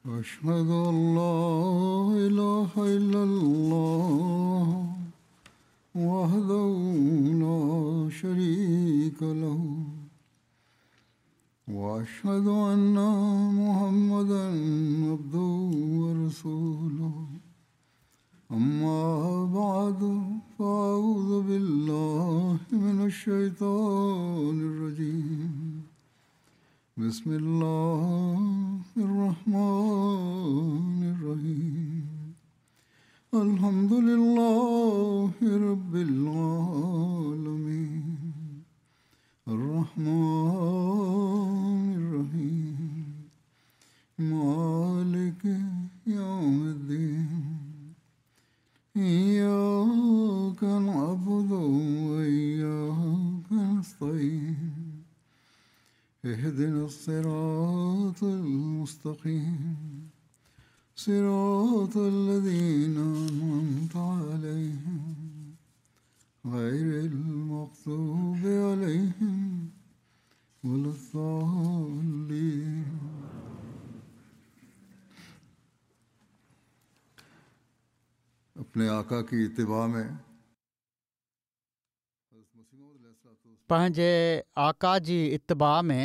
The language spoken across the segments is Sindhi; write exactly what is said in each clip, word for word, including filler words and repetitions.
أشهد أن لا إله إلا الله وحده لا شريك له وأشهد أن محمدا عبده ورسوله. أما بعد فأعوذ بالله من الشيطان الرجيم. بسم الله الرحمن الرحيم. الحمد لله رب العالمين الرحمن الرحيم مالك يوم الدين. إياك نعبد وإياك نستعين. اهدنا الصراط المستقيم صراط الذين أنعمت عليهم غير المغضوب عليهم ولا الضالين. अपने आका की इत्तिबा में पंहिंजे आका जी इत्तिबा में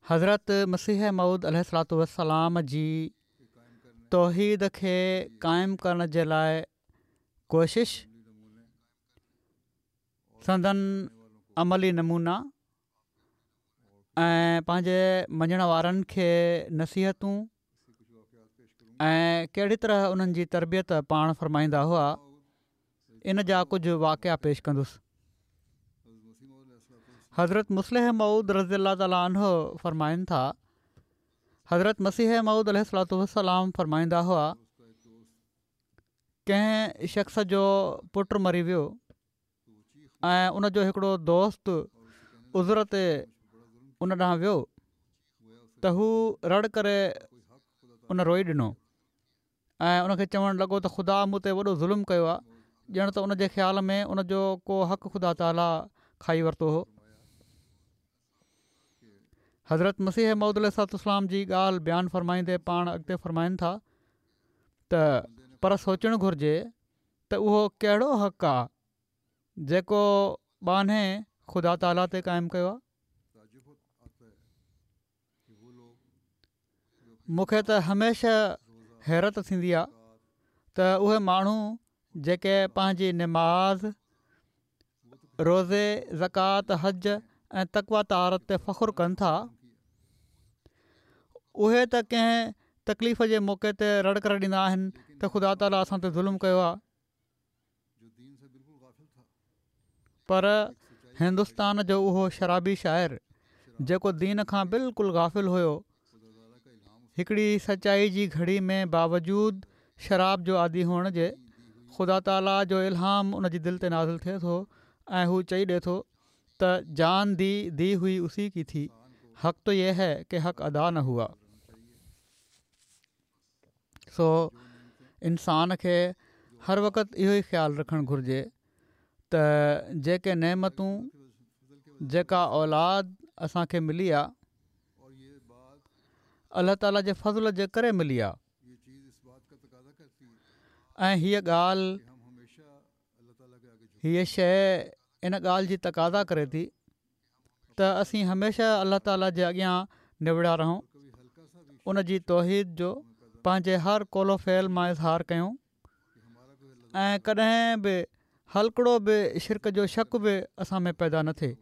हज़रत मसीह मौऊद अलैहिस्सलातु वस्सलाम जी तौहीद खे क़ाइम करण जे लाइ कोशिश, संदन अमली नमूना ऐं पंहिंजे मञण वारनि खे नसीहतूं ऐं कहिड़ी तरह उन्हनि जी तरबियत पाण फरमाईंदा हुआ, इन जा कुझु वाक़िआ पेश कंदुसि। हज़रत मुस्लिह मऊद रज़ी अल्लाह तआला अन्हु फरमाइनि था, हज़रत मसीह मऊद अलैहिस्सलातु वस्सलाम फरमाईंदा हुआ, कंहिं शख़्स जो पुटु मरी वियो ऐं उन जो हिकिड़ो दोस्त उज़ुर ते उन ॾांहुं वियो त हू रड़ करे उन रोई ॾिनो ऐं उनखे चवणु लॻो त ख़ुदा मूं ते वॾो ज़ुल्म कयो आहे, ॼण त उनजे ख़्याल में उन जो को हक़ ख़ुदा ताला खाई वरितो हो। हज़रत मसीह मौऊद अलैहिस्सलातु वस्सलाम जी ॻाल्हि बयानु फरमाईंदे पाण अॻिते फरमाइनि था त पर सोचणु घुरिजे त उहो कहिड़ो हक़ आहे जेको ॿान्हे ख़ुदा ताला ते क़ाइमु कयो आहे। मूंखे त हमेशह हैरत थींदी आहे त उहे माण्हू जेके पंहिंजी निमाज़, रोज़े, ज़कात, हज ऐं तक़वा तहारत ते फ़ख़्रु कनि था, उहे त कंहिं तकलीफ़ जे मौक़े ते रड़ करे ॾींदा आहिनि त ख़ुदा ताला असां ते ज़ुल्म कयो आहे। पर हिंदुस्तान जो उहो शराबी शाइर जेको दीन खां बिल्कुलु गाफ़िल हुयो, हिकिड़ी सचाई जी घड़ी में बावजूद शराब जो आदी हुअण जे ख़ुदा ताला जो इल्हाम उन जी दिलि ते नाज़िल थिए थो ऐं हू चई ॾिए थो त जान दी दी हुई उसी की थी, हक़ तो यह है कि हक़ अदा न हुआ। सो इंसान खे हर वक़्तु इहो ई ख़्यालु रखणु घुरिजे त जेके नेमतूं, जेका औलाद असांखे मिली आहे, अलाह ताला जे फ़ज़ल जे करे मिली आहे ऐं हीअ ॻाल्हि, हीअ शइ इन ॻाल्हि जी तक़ाज़ा करे थी त असीं हमेशह अलाह ताला जे अॻियां निवड़ा रहूं, उन जी तौहीद जो पंहिंजे हर क़ौलो फ़ेल मां इज़हार कयूं ऐं कॾहिं बि हल्कड़ो बि शिरक जो शक बि असां में पैदा न थिए।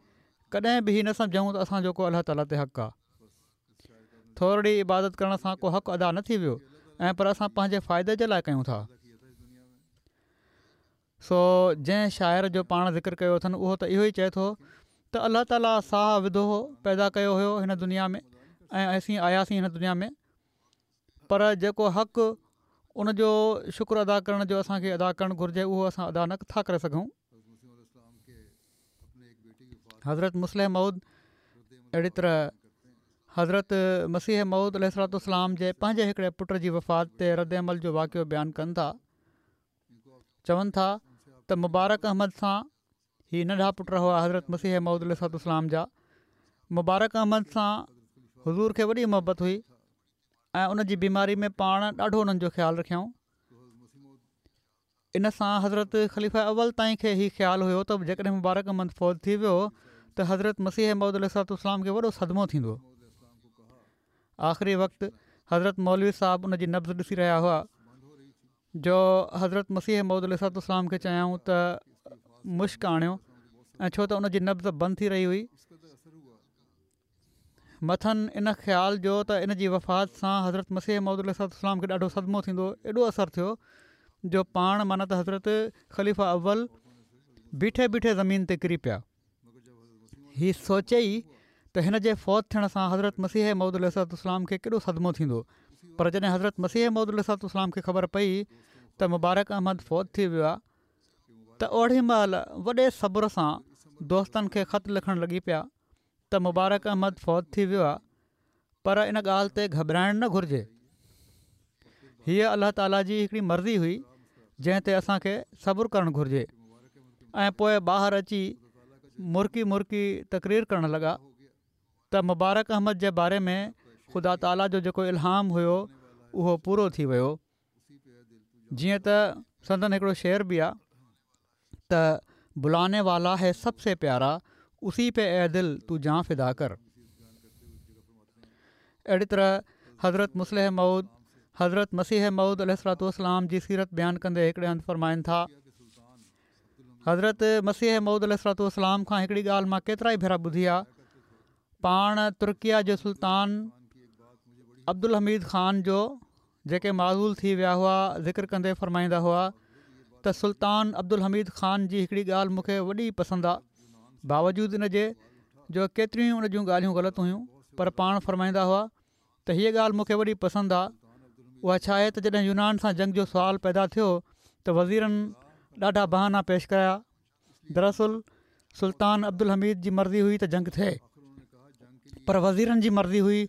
कॾहिं बि हीअ न सम्झूं त असांजो को अलाह ताला ते हक़ आहे। थोरी इबादत करण सां को हक़ अदा न थी वियो ऐं पर असां पंहिंजे फ़ाइदे जे लाइ कयूं था। सो जंहिं शाइर जो पाण ज़िक्र कयो अथनि उहो त इहो ई चए थो त अलाह ताला साह विधो हो, पैदा कयो हुयो हिन दुनिया में ऐं असीं आयासीं हिन दुनिया में, पर जेको हक़ उन जो शुक्र अदा करण जो असांखे अदा करणु घुरिजे उहो असां अदा नथा करे सघूं। हज़रत मुस्लिह मऊद अहिड़ी तरह हज़रत मसीह मऊद अलैहिस्सलातु वस्सलाम जे पंहिंजे हिकिड़े पुट जी वफ़ात ते रद्द अमल जो वाक़िओ बयानु कनि था। चवनि था त मुबारक अहमद सां ही नंढा पुट हुआ हज़रत मसीह मऊद अलैहिस्सलातु वस्सलाम जा। मुबारक अहमद सां हुज़ूर खे वॾी मोहबत हुई ۽ ان جي بيماري ۾ پاڻ ڏاڍو انهن جو خيال رکيائون. ان سان حضرت خليفه اول تائين کي هي خيال هيو ته جيڪڏهن مبارڪ احمد فوت ٿي ويو ته حضرت مسيح موعود عليه الصلوة والسلام کي وڏو صدمو ٿيندو. آخري وقت حضرت مولوي صاحب ان جي نبض ڏسي رهيا هئا جو حضرت مسيح موعود عليه الصلوة والسلام کي چيائون ته مشڪ آڻيو ۽ ڇو ته ان جي نبض بند ٿي رهي هئي. مٿن ان خيال جو ته ان جي وفات سان حضرت مسيح موعود عليه الصلوة والسلام کي ڏاڍو صدمو ٿيندو، ايڏو اثر ٿيو جو پاڻ معنيٰ ته حضرت خليفه اول بيٺي بيٺي زمين تي ڪري پيا. هي سوچي ئي ته هن جي فوت ٿيڻ سان حضرت مسيح موعود عليه الصلوة والسلام کي ڪيڏو صدمو ٿيندو. پر جڏهن حضرت مسيح موعود عليه الصلوة والسلام کي خبر پئي ته مبارڪ احمد فوت ٿي ويو آهي ته اوڏي مهل وڏي صبر سان دوستن کي خط لکڻ لڳي پيا ته مبارڪ احمد فوت ٿي ويو آهي، پر ان ڳالهه تي گهٻرائڻ نه گهرجي. هيء الله تعاليٰ جي هڪڙي مرضي هئي جنهن تي اسان کي صبر ڪرڻ گهرجي. ۽ پوء ٻاهر اچي مرڪي مرڪي تقرير ڪرڻ لڳا ته مبارڪ احمد جي باري ۾ خدا تعاليٰ جو جيڪو الهام هيو اهو پورو ٿي ويو. جيئن ته سندن هڪڙو شعر به آهي ته بلانے والا ہے سب سے پيارا اسی پہ اے دل تو جان فدا کر. اهڙي طرح حضرت مصلح موعود حضرت مسيح موعود عليه الصلوة والسلام جي سيرت بيان ڪندي هڪڙي هنڌ فرمائن ٿا، حضرت مسيح موعود عليه الصلوة والسلام کان هڪڙي ڳالهه مان ڪيترا ئي ڀيرا ٻڌي آ. پاڻ ترڪيه جي سلطان عبدالحميد خان جو جيڪي معزول ٿي ويا هئا ذڪر ڪندي فرمائيندا هئا ته سلطان عبدالحميد خان جي هڪڙي ڳالهه مون کي وڏي پسند آ، باوجود ان جي جو ڪيتريون ان جون ڳالهيون غلط هيون، پر پاڻ فرمائيندا هئا ته هيء ڳالهه مون کي وڏي پسند آ. اها ڇا آهي ته جڏهن يونان سان جنگ جو سوال پيدا ٿيو ته وزيرن ڏاڍا بهانا پيش ڪيا. دراصل سلطان عبدالحميد جي مرضي هئي ته جنگ ٿئي، پر وزيرن جي مرضي هئي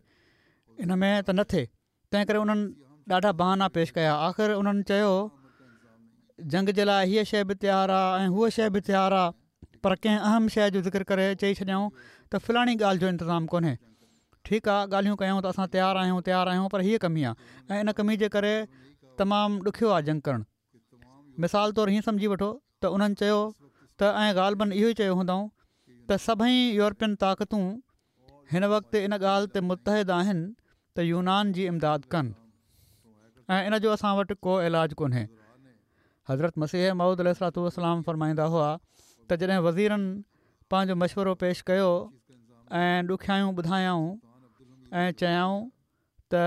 ان ۾ ته نه ٿئي، تنهن ڪري انهن ڏاڍا بهانا پيش ڪيا. آخر انهن چيو جنگ جي لاء هيء شيء به تيار آ ۽ هوء شيء به تيار آ، پر ڪنهن اهم شيء جو ذڪر ڪري چئي ڇڏيائون ته فلاڻي ڳالهه جو انتظام ڪونهي. ٺيڪ آ ڳالهيون ڪيائون ته اسان تيار آهيون تيار آهيون، پر هيء ڪمي آ ۽ ان ڪمي جي ڪري تمام ڏکيو آ جنگ ڪرڻ. مثال طور هيئن سمجهي وٺو ته انهن چيو ته ۽ غالباً اهو ئي چيو هوندائون ته سڀئي يورپين طاقتون هن وقت ان ڳالهه تي متحد آهن ته يونان جي امداد ڪن ۽ ان جو اسان وٽ ڪو علاج ڪونهي. حضرت مسيح موعود عليه الصلوة والسلام فرمائيندا هئا ته جڏهن وزيرن پنهنجو مشورو پيش ڪيو ۽ ڏکيائيون ٻڌايائون ۽ چيائون ته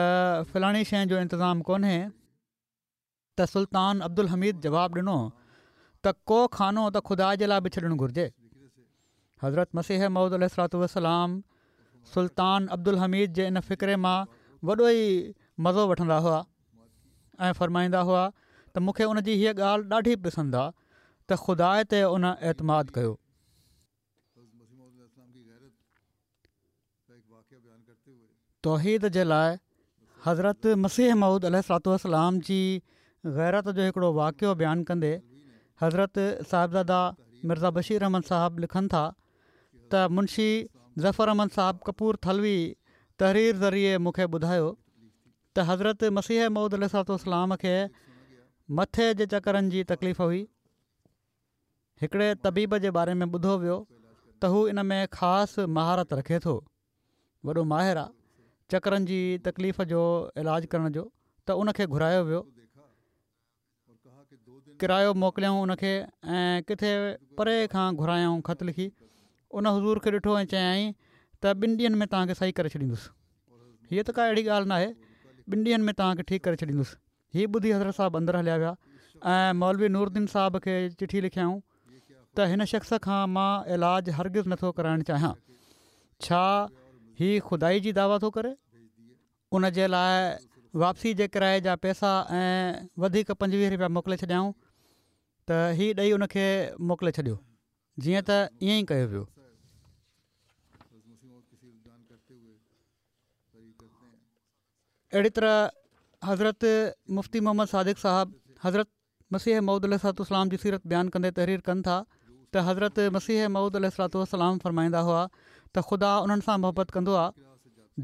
فلاڻي شيء جو انتظام ڪونهي ته سلطان عبدالحميد جواب ڏنو ته ڪو خانو ته خدا جي لاء به ڇڏڻ گهرجي. حضرت مسيح موعود عليه الصلوة والسلام سلطان عبدالحميد جي ان فقري مان وڏو ئي مزو وٺندا هئا ۽ فرمائيندا هئا ته مون کي ان جي هيء ڳالهه ڏاڍي پسند آ ته خدا تي ان اعتماد ڪيو. توحيد جي لاء حضرت مسيح موعود عليه الصلوة والسلام جي غيرت جو هڪڙو واقعو بيان ڪندي حضرت صاحبزاده مرزا بشير احمد صاحب لکن ٿا ته منشي ظفر احمد صاحب ڪپور ٿلوي تحرير ذريعي مون کي ٻڌايو ته حضرت مسيح موعود عليه الصلوة والسلام کي مٿي جي چڪرن جي تڪليف هئي. هڪڙي طبيب جي باري ۾ ٻڌو ويو ته هو ان ۾ خاص مهارت رکي ٿو، وڏو ماهر آ چڪرن جي تڪليف جو علاج ڪرڻ جو، ته ان کي گهرايو ويو. ڪرايو موڪليائون ان کي ۽ ڪٿي پري کان گهرايائون خط لکي. ان حضور کي ڏٺو ۽ چيائين ته ٻن ڏينهن ۾ توهان کي صحيح ڪري ڇڏيندس. هيء ته ڪا اهڙي ڳالهه ناهي، ٻن ڏينهن ۾ توهان کي ٺيڪ ڪري ڇڏيندس. هي ٻڌي حضرت صاحب اندر هليا ويا ۽ مولوي نورالدين صاحب کي چٺي لکيائون ته هن شخص کان مان علاج هرگز نٿو ڪرائڻ چاهيان. ڇا هي خدائي جي دعويٰ ٿو ڪري؟ ان جي لاء واپسي جي ڪرائي جا پئسا ۽ وڌيڪ پنجويهه رپيا موڪلي ڇڏيائون ته هي ڏئي ان کي موڪلي ڇڏيو. جيئن ته ائين ئي ڪيو ويو. اهڙي طرح حضرت مفتي محمد صادق صاحب حضرت مسيح موعود عليه الصلوة والسلام جي سيرت بيان ڪندي تحرير ڪن ٿا ته حضرت مسيح موعود عليه الصلوة والسلام فرمائيندا هئا ته خدا انهن سان محبت ڪندو آهي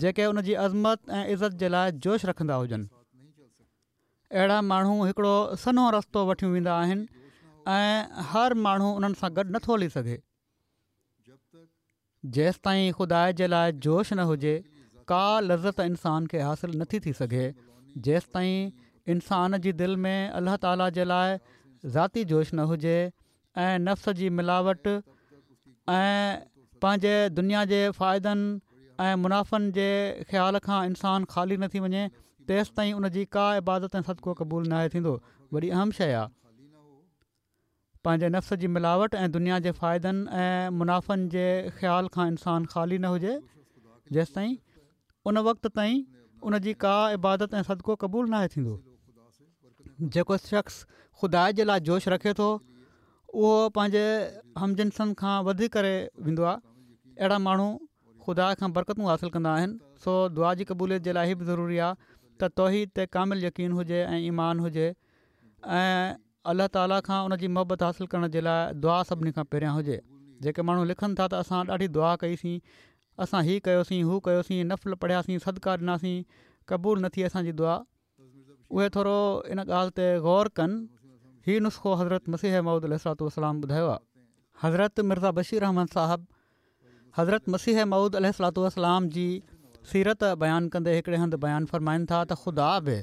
جيڪي ان جي عظمت ۽ عزت جي لاءِ جوش رکندا هجن. اهڙا ماڻهو هڪڙو سنهو رستو وٺيون ويندا آهن ۽ هر ماڻهو انهن سان گڏ نٿو هلي سگهي. جيستائين خدا جي لاءِ جوش نه هجي ڪا لذت انسان کي حاصل نٿي ٿي سگهي. جيستائين انسان جي دل ۾ الله تعاليٰ جي لاءِ ذاتي جوش نه هجي ۽ نفس جي ملاوٽ ۽ پنهنجي دنيا جي فائدن ۽ منافعن جي خيال کان انسان خالي نه ٿي وڃي تيستائين ان جي ڪا عبادت ۽ صدقو قبول ناهي ٿيندو. وڏي اهم شيءِ آهي پنهنجي نفس جي ملاوٽ ۽ دنيا جي فائدن ۽ منافعن جي خيال کان انسان خالي نه هجي جيستائين ان وقت تائين ان جي ڪا عبادت ۽ صدقو قبول ناهي ٿيندو. جيڪو شخص خدا جي لاءِ جوش رکي ٿو اهو پنهنجي همجنسن کان وڌي ڪري ويندو آهي. اهڙا ماڻهو خدا کان برڪتون حاصل ڪندا آهن. سو دعا جي قبوليت جي لاءِ هي به ضروري آهي ته توحيد تي ڪامل يقين هجي ۽ ايمان هجي ۽ الله تعاليٰ کان ان جي محبت حاصل ڪرڻ جي لاءِ دعا سڀني کان پهريان هجي. جيڪي ماڻهو لکن ٿا ته اسان ڏاڍي دعا ڪئيسين، اسان هي ڪيوسين، هو ڪيوسين، نفل پڙهياسين، صدقا ڏناسين، قبول نه ٿي اسان جي دعا، اهي ٿورو ان ڳالهه تي غور ڪن. هي نسخو حضرت مسيح موعود عليه الصلوة والسلام ٻڌايو آهي. حضرت مرزا بشير احمد صاحب حضرت مسيح موعود عليه الصلوة والسلام جي سيرت بيان ڪندي هڪڙي هنڌ بيان فرمائن ٿا ته خدا به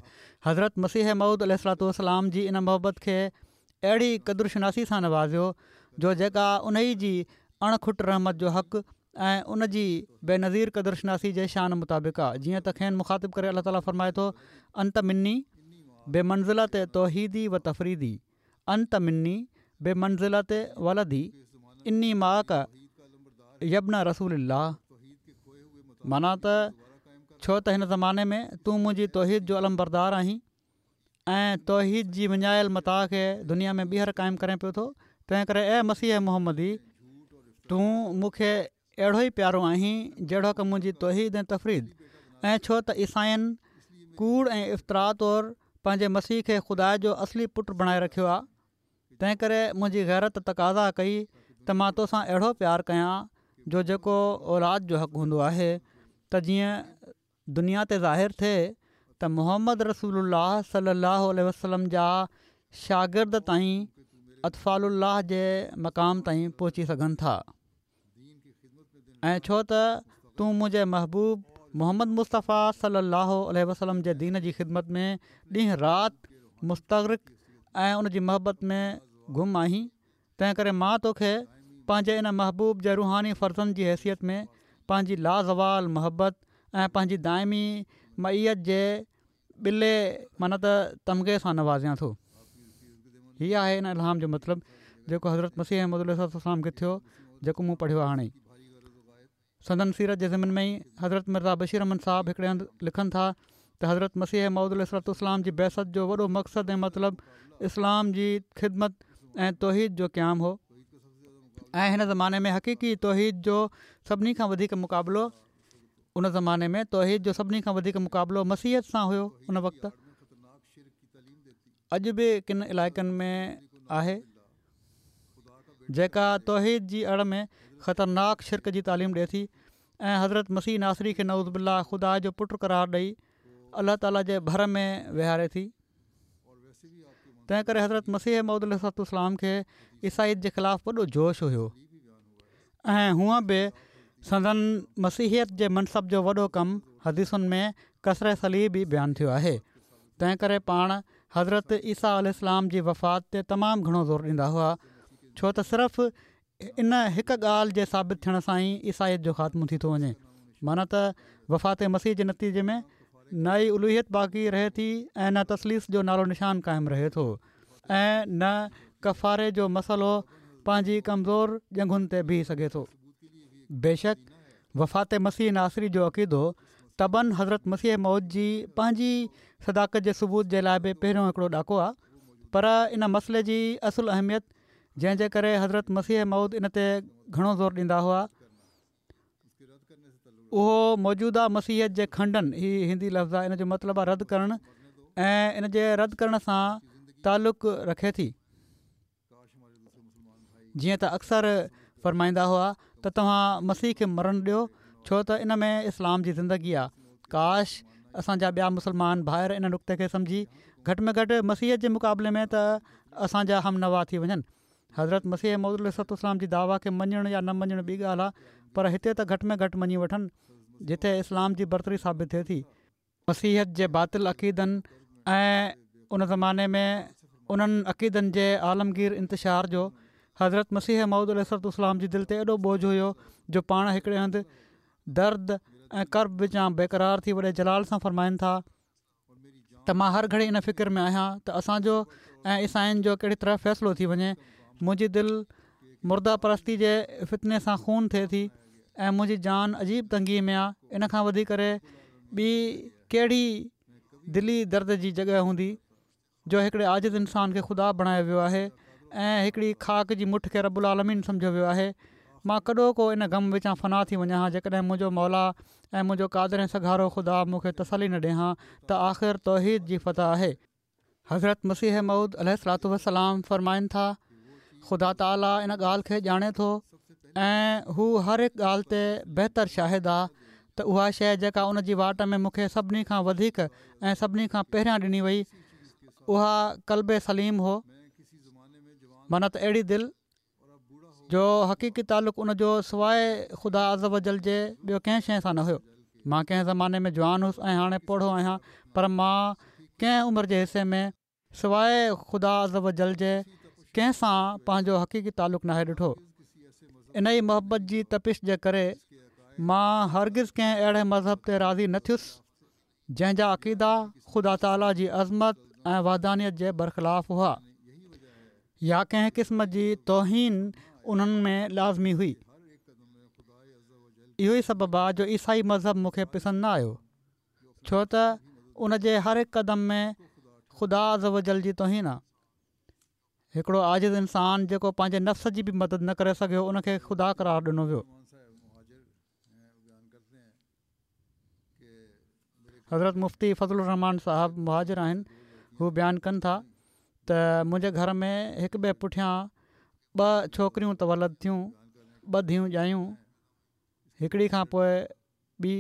حضرت مسيح موعود عليه الصلوة والسلام جي ان محبت کي اهڙي قدر شناسي سان نوازيو جو جيڪا ان ئي جي اڻ کٽ رحمت جو حق ۽ ان جي بينظير قدر شناسي جي شان مطابق آهي. جيئن ته کين مخاطب ڪري الله تعاليٰ فرمائي ٿو انت مني بمنزلة توحيدي و تفريدي انت مني بمنزلة ولدي اني معڪ يا ابن رسول الله. معنيٰ ته ڇو ته هن زماني ۾ تون منهنجي توحيد جو علم بردار آهين ۽ توحيد جي وڃايل متاع کي دنيا ۾ ٻيهر قائم ڪرين پيو ٿو، تنهن ڪري اي مسيح محمدي تون مون کي اهڙو ئي پيارو آهين جهڙو ڪه منهنجي توحيد ۽ تفريد. ۽ ڇو ته عيسائين ڪوڙ ۽ افتراء طور پنهنجي مسيح کي خدا جو اصلي پٽ بڻائي رکيو آهي، تنهن ڪري منهنجي غيرت تقاضا ڪئي ته مان توسان اهڙو پيار ڪيان جو جيڪو اولاد جو حق هوندو آهي، ته جيئن دنيا تي ظاهر ٿئي ته محمد رسول الله صلي الله عليه وسلم جا شاگرد تائين اطفال الله جي مقام تائين پهچي سگهن ٿا. ۽ ڇو ته تون منهنجي محبوب محمد مصطفيٰ صلي الله عليه وسلم جي دين جي خدمت ۾ ڏينهن رات مستغرق ۽ ان جي محبت ۾ گم آهين، تنهن ڪري مان توکي پنهنجي ان محبوب جي روحاني فرزند جي حيثيت ۾ پنهنجي لازوال محبت ۽ پنهنجي دائمي معيت جي ٻلي معنيٰ ته تمغي سان نوازيان ٿو. هي آهي ان الهام جو مطلب جيڪو حضرت مسيح موعود عليه السلام کي ٿيو، جيڪو مون پڙهيو آهي. هاڻي سندن سيرت جي ضمن ۾ ئي حضرت مرزا بشير احمد صاحب هڪڙي هنڌ لکن ٿا ته حضرت مسيح موعود عليه السلام جي بعثت جو وڏو مقصد ۽ مطلب اسلام جي خدمت ۽ توحيد جو قيام هو ۽ هن زماني ۾ حقيقي توحيد جو سڀني کان وڌيڪ مقابلو ان زماني ۾ توحيد جو سڀني کان وڌيڪ مقابلو مسيحيت سان هيو. ان وقت اڄ به ڪن علائقن ۾ آهي جيڪا توحيد جي اڙ ۾ خطرناڪ شرڪ جي تعليم ڏئي ٿي ۽ حضرت مسيح ناصري کي نعوذ بالله خدا جو پٽ قرار ڏئي الله تعاليٰ جي ڀر ۾ ويهاري ٿي. تنهن ڪري حضرت مسيح موعود عليه السلام کي عيسائيت جي خلاف وڏو جوش هيو ۽ هونءَ به سندن مسيحيت جي منصب جو وڏو ڪم حديثن ۾ ڪسر صليب ئي بيان ٿيو آهي. تنهن ڪري پاڻ حضرت عيسيٰ عليه السلام جي وفات تي تمام گهڻو زور ڏيندا هئا، ڇو ته صرف ان هڪ ڳالهه جي ثابت ٿيڻ سان ئي عيسائيت جو خاتمو ٿي ٿو وڃي. معنيٰ ته وفات مسيح جي نتيجي ۾ نه ئي الوهيت باقي رهي ٿي ۽ نه تثليث جو نالو نشان قائم رهي ٿو ۽ نه ڪفاري جو مسئلو پنهنجي ڪمزور ڄنگهن تي بيهي سگهي ٿو. بيشڪ وفات مسيح ناصري جو عقيدو طبعاً حضرت مسيح موعود جي پنهنجي صداقت جي ثبوت جي لاءِ به پهريون هڪڙو ڏاڪو آهي، پر ان مسئلي جي اصل اهميت جنهن جي ڪري حضرت مسيح موعود ان تي گهڻو زور ڏيندا هئا اهو موجوده مسيحيت جي کنڊن، هي هندي لفظ آهي ان جو مطلب آهي رد ڪرڻ، ۽ ان جي رد ڪرڻ سان تعلق رکي ٿي. جيئن ته اڪثر فرمائيندا هئا ته توهان مسيح کي مرڻ ڏيو، ڇو ته ان ۾ اسلام جي زندگي آ. ڪاش اسان جا ٻيا مسلمان ڀائر ان نقطي کي سمجهي گهٽ ۾ گهٽ مسيحيت جي مقابلي ۾ ته اسان جا هم نوا ٿي وڃن. حضرت مسيح موعود عليه الصلوة والسلام جي دعويٰ کي مڃڻ يا نه مڃڻ ٻي ڳالهه آ، پر هتي ته گهٽ ۾ گهٽ مڃي وٺن جتي اسلام جي برتري ثابت ٿئي ٿي. مسيحيت جي باطل عقيدن ۽ ان زماني ۾ انهن عقيدن جي عالمگير انتشار جو حضرت مسيح موعود عليه الصلوة والسلام جي دل تي ايڏو ٻوجهه هيو جو پاڻ هڪڙي هنڌ درد ۽ ڪرب وچان بيقرار ٿي وڏي جلال سان فرمائن ٿا ته مان هر گهڙي ان فڪر ۾ آهيان ته اسان جو ۽ عيسائين جو ڪهڙي طرح فيصلو ٿي وڃي. منهنجي دل مرده پرستي جي فتني سان خون ٿئي ٿي ۽ منهنجي جان عجيب تنگي ۾ آ. ان کان وڌي ڪري ٻي ڪهڙي دلي درد جي جڳهه هوندي جو هڪڙي عاجز انسان کي خدا بڻايو ويو آهي ۽ هڪڙي خاڪ جي مٺ کي رب العالمين سمجهيو ويو آهي. مان ڪڏهوڪو ان غم وچان فنا ٿي وڃان ها جيڪڏهن منهنجو مولا ۽ منهنجو قادر ۽ سگهارو خدا مون کي تسلي نه ڏي هان ته آخر توحيد جي فتح آهي. حضرت مسيح موعود عليه الصلوة والسلام فرمائن ٿا، خدا تعاليٰ ان ڳالهه کي ڄاڻي ٿو ۽ هو هر هڪ ڳالهه تي بهتر شاهد آ ته اها شيء جيڪا ان جي واٽ ۾ مون کي سڀني کان وڌيڪ ۽ سڀني کان پهريان ڏني وئي اها قلب سليم هو معنيٰ ته اهڙي دل جو حقيقي تعلق ان جو سواء خدا عزّوجلّ جي ٻيو ڪنهن شيء سان نه هيو. مان ڪنهن زماني ۾ جوان هوس ۽ هاڻي پوڙهو آهيان پر مان ڪنهن عمر جي حصي ۾ سواء خدا عزّوجلّ جي ڪنهن سان پنهنجو حقيقي تعلق ناهي ڏٺو. انهيء محبت جي تپش جي ڪري مان هرگز ڪنهن اهڙي مذهب تي راضي نه ٿيس جنهن جا عقيدا خدا تعاليٰ جي عظمت ۽ وحدانيت جي برخلاف هئا يا ڪنهن قسم جي توهين انهن ۾ لازمي هئي. اهو ئي سبب آ جو عيسائي مذهب مون کي پسند نه آيو ڇو ته ان جي هر هڪ قدم ۾ خدا عزّوجلّ جي توهين آ. هڪڙو عاجز انسان جيڪو پنهنجي نفس جي به مدد نه ڪري سگهيو ان کي خدا قرار ڏنو ويو. حضرت مفتي فضل الرحمان صاحب مهاجر آهن هو بيان ڪن ٿا ته منهنجي گهر ۾ هڪ ٻئي پٺيان ٻه ڇوڪريون تولد ٿيون ٻه ڌيئون ڄايون هڪڙي کان پوء ٻي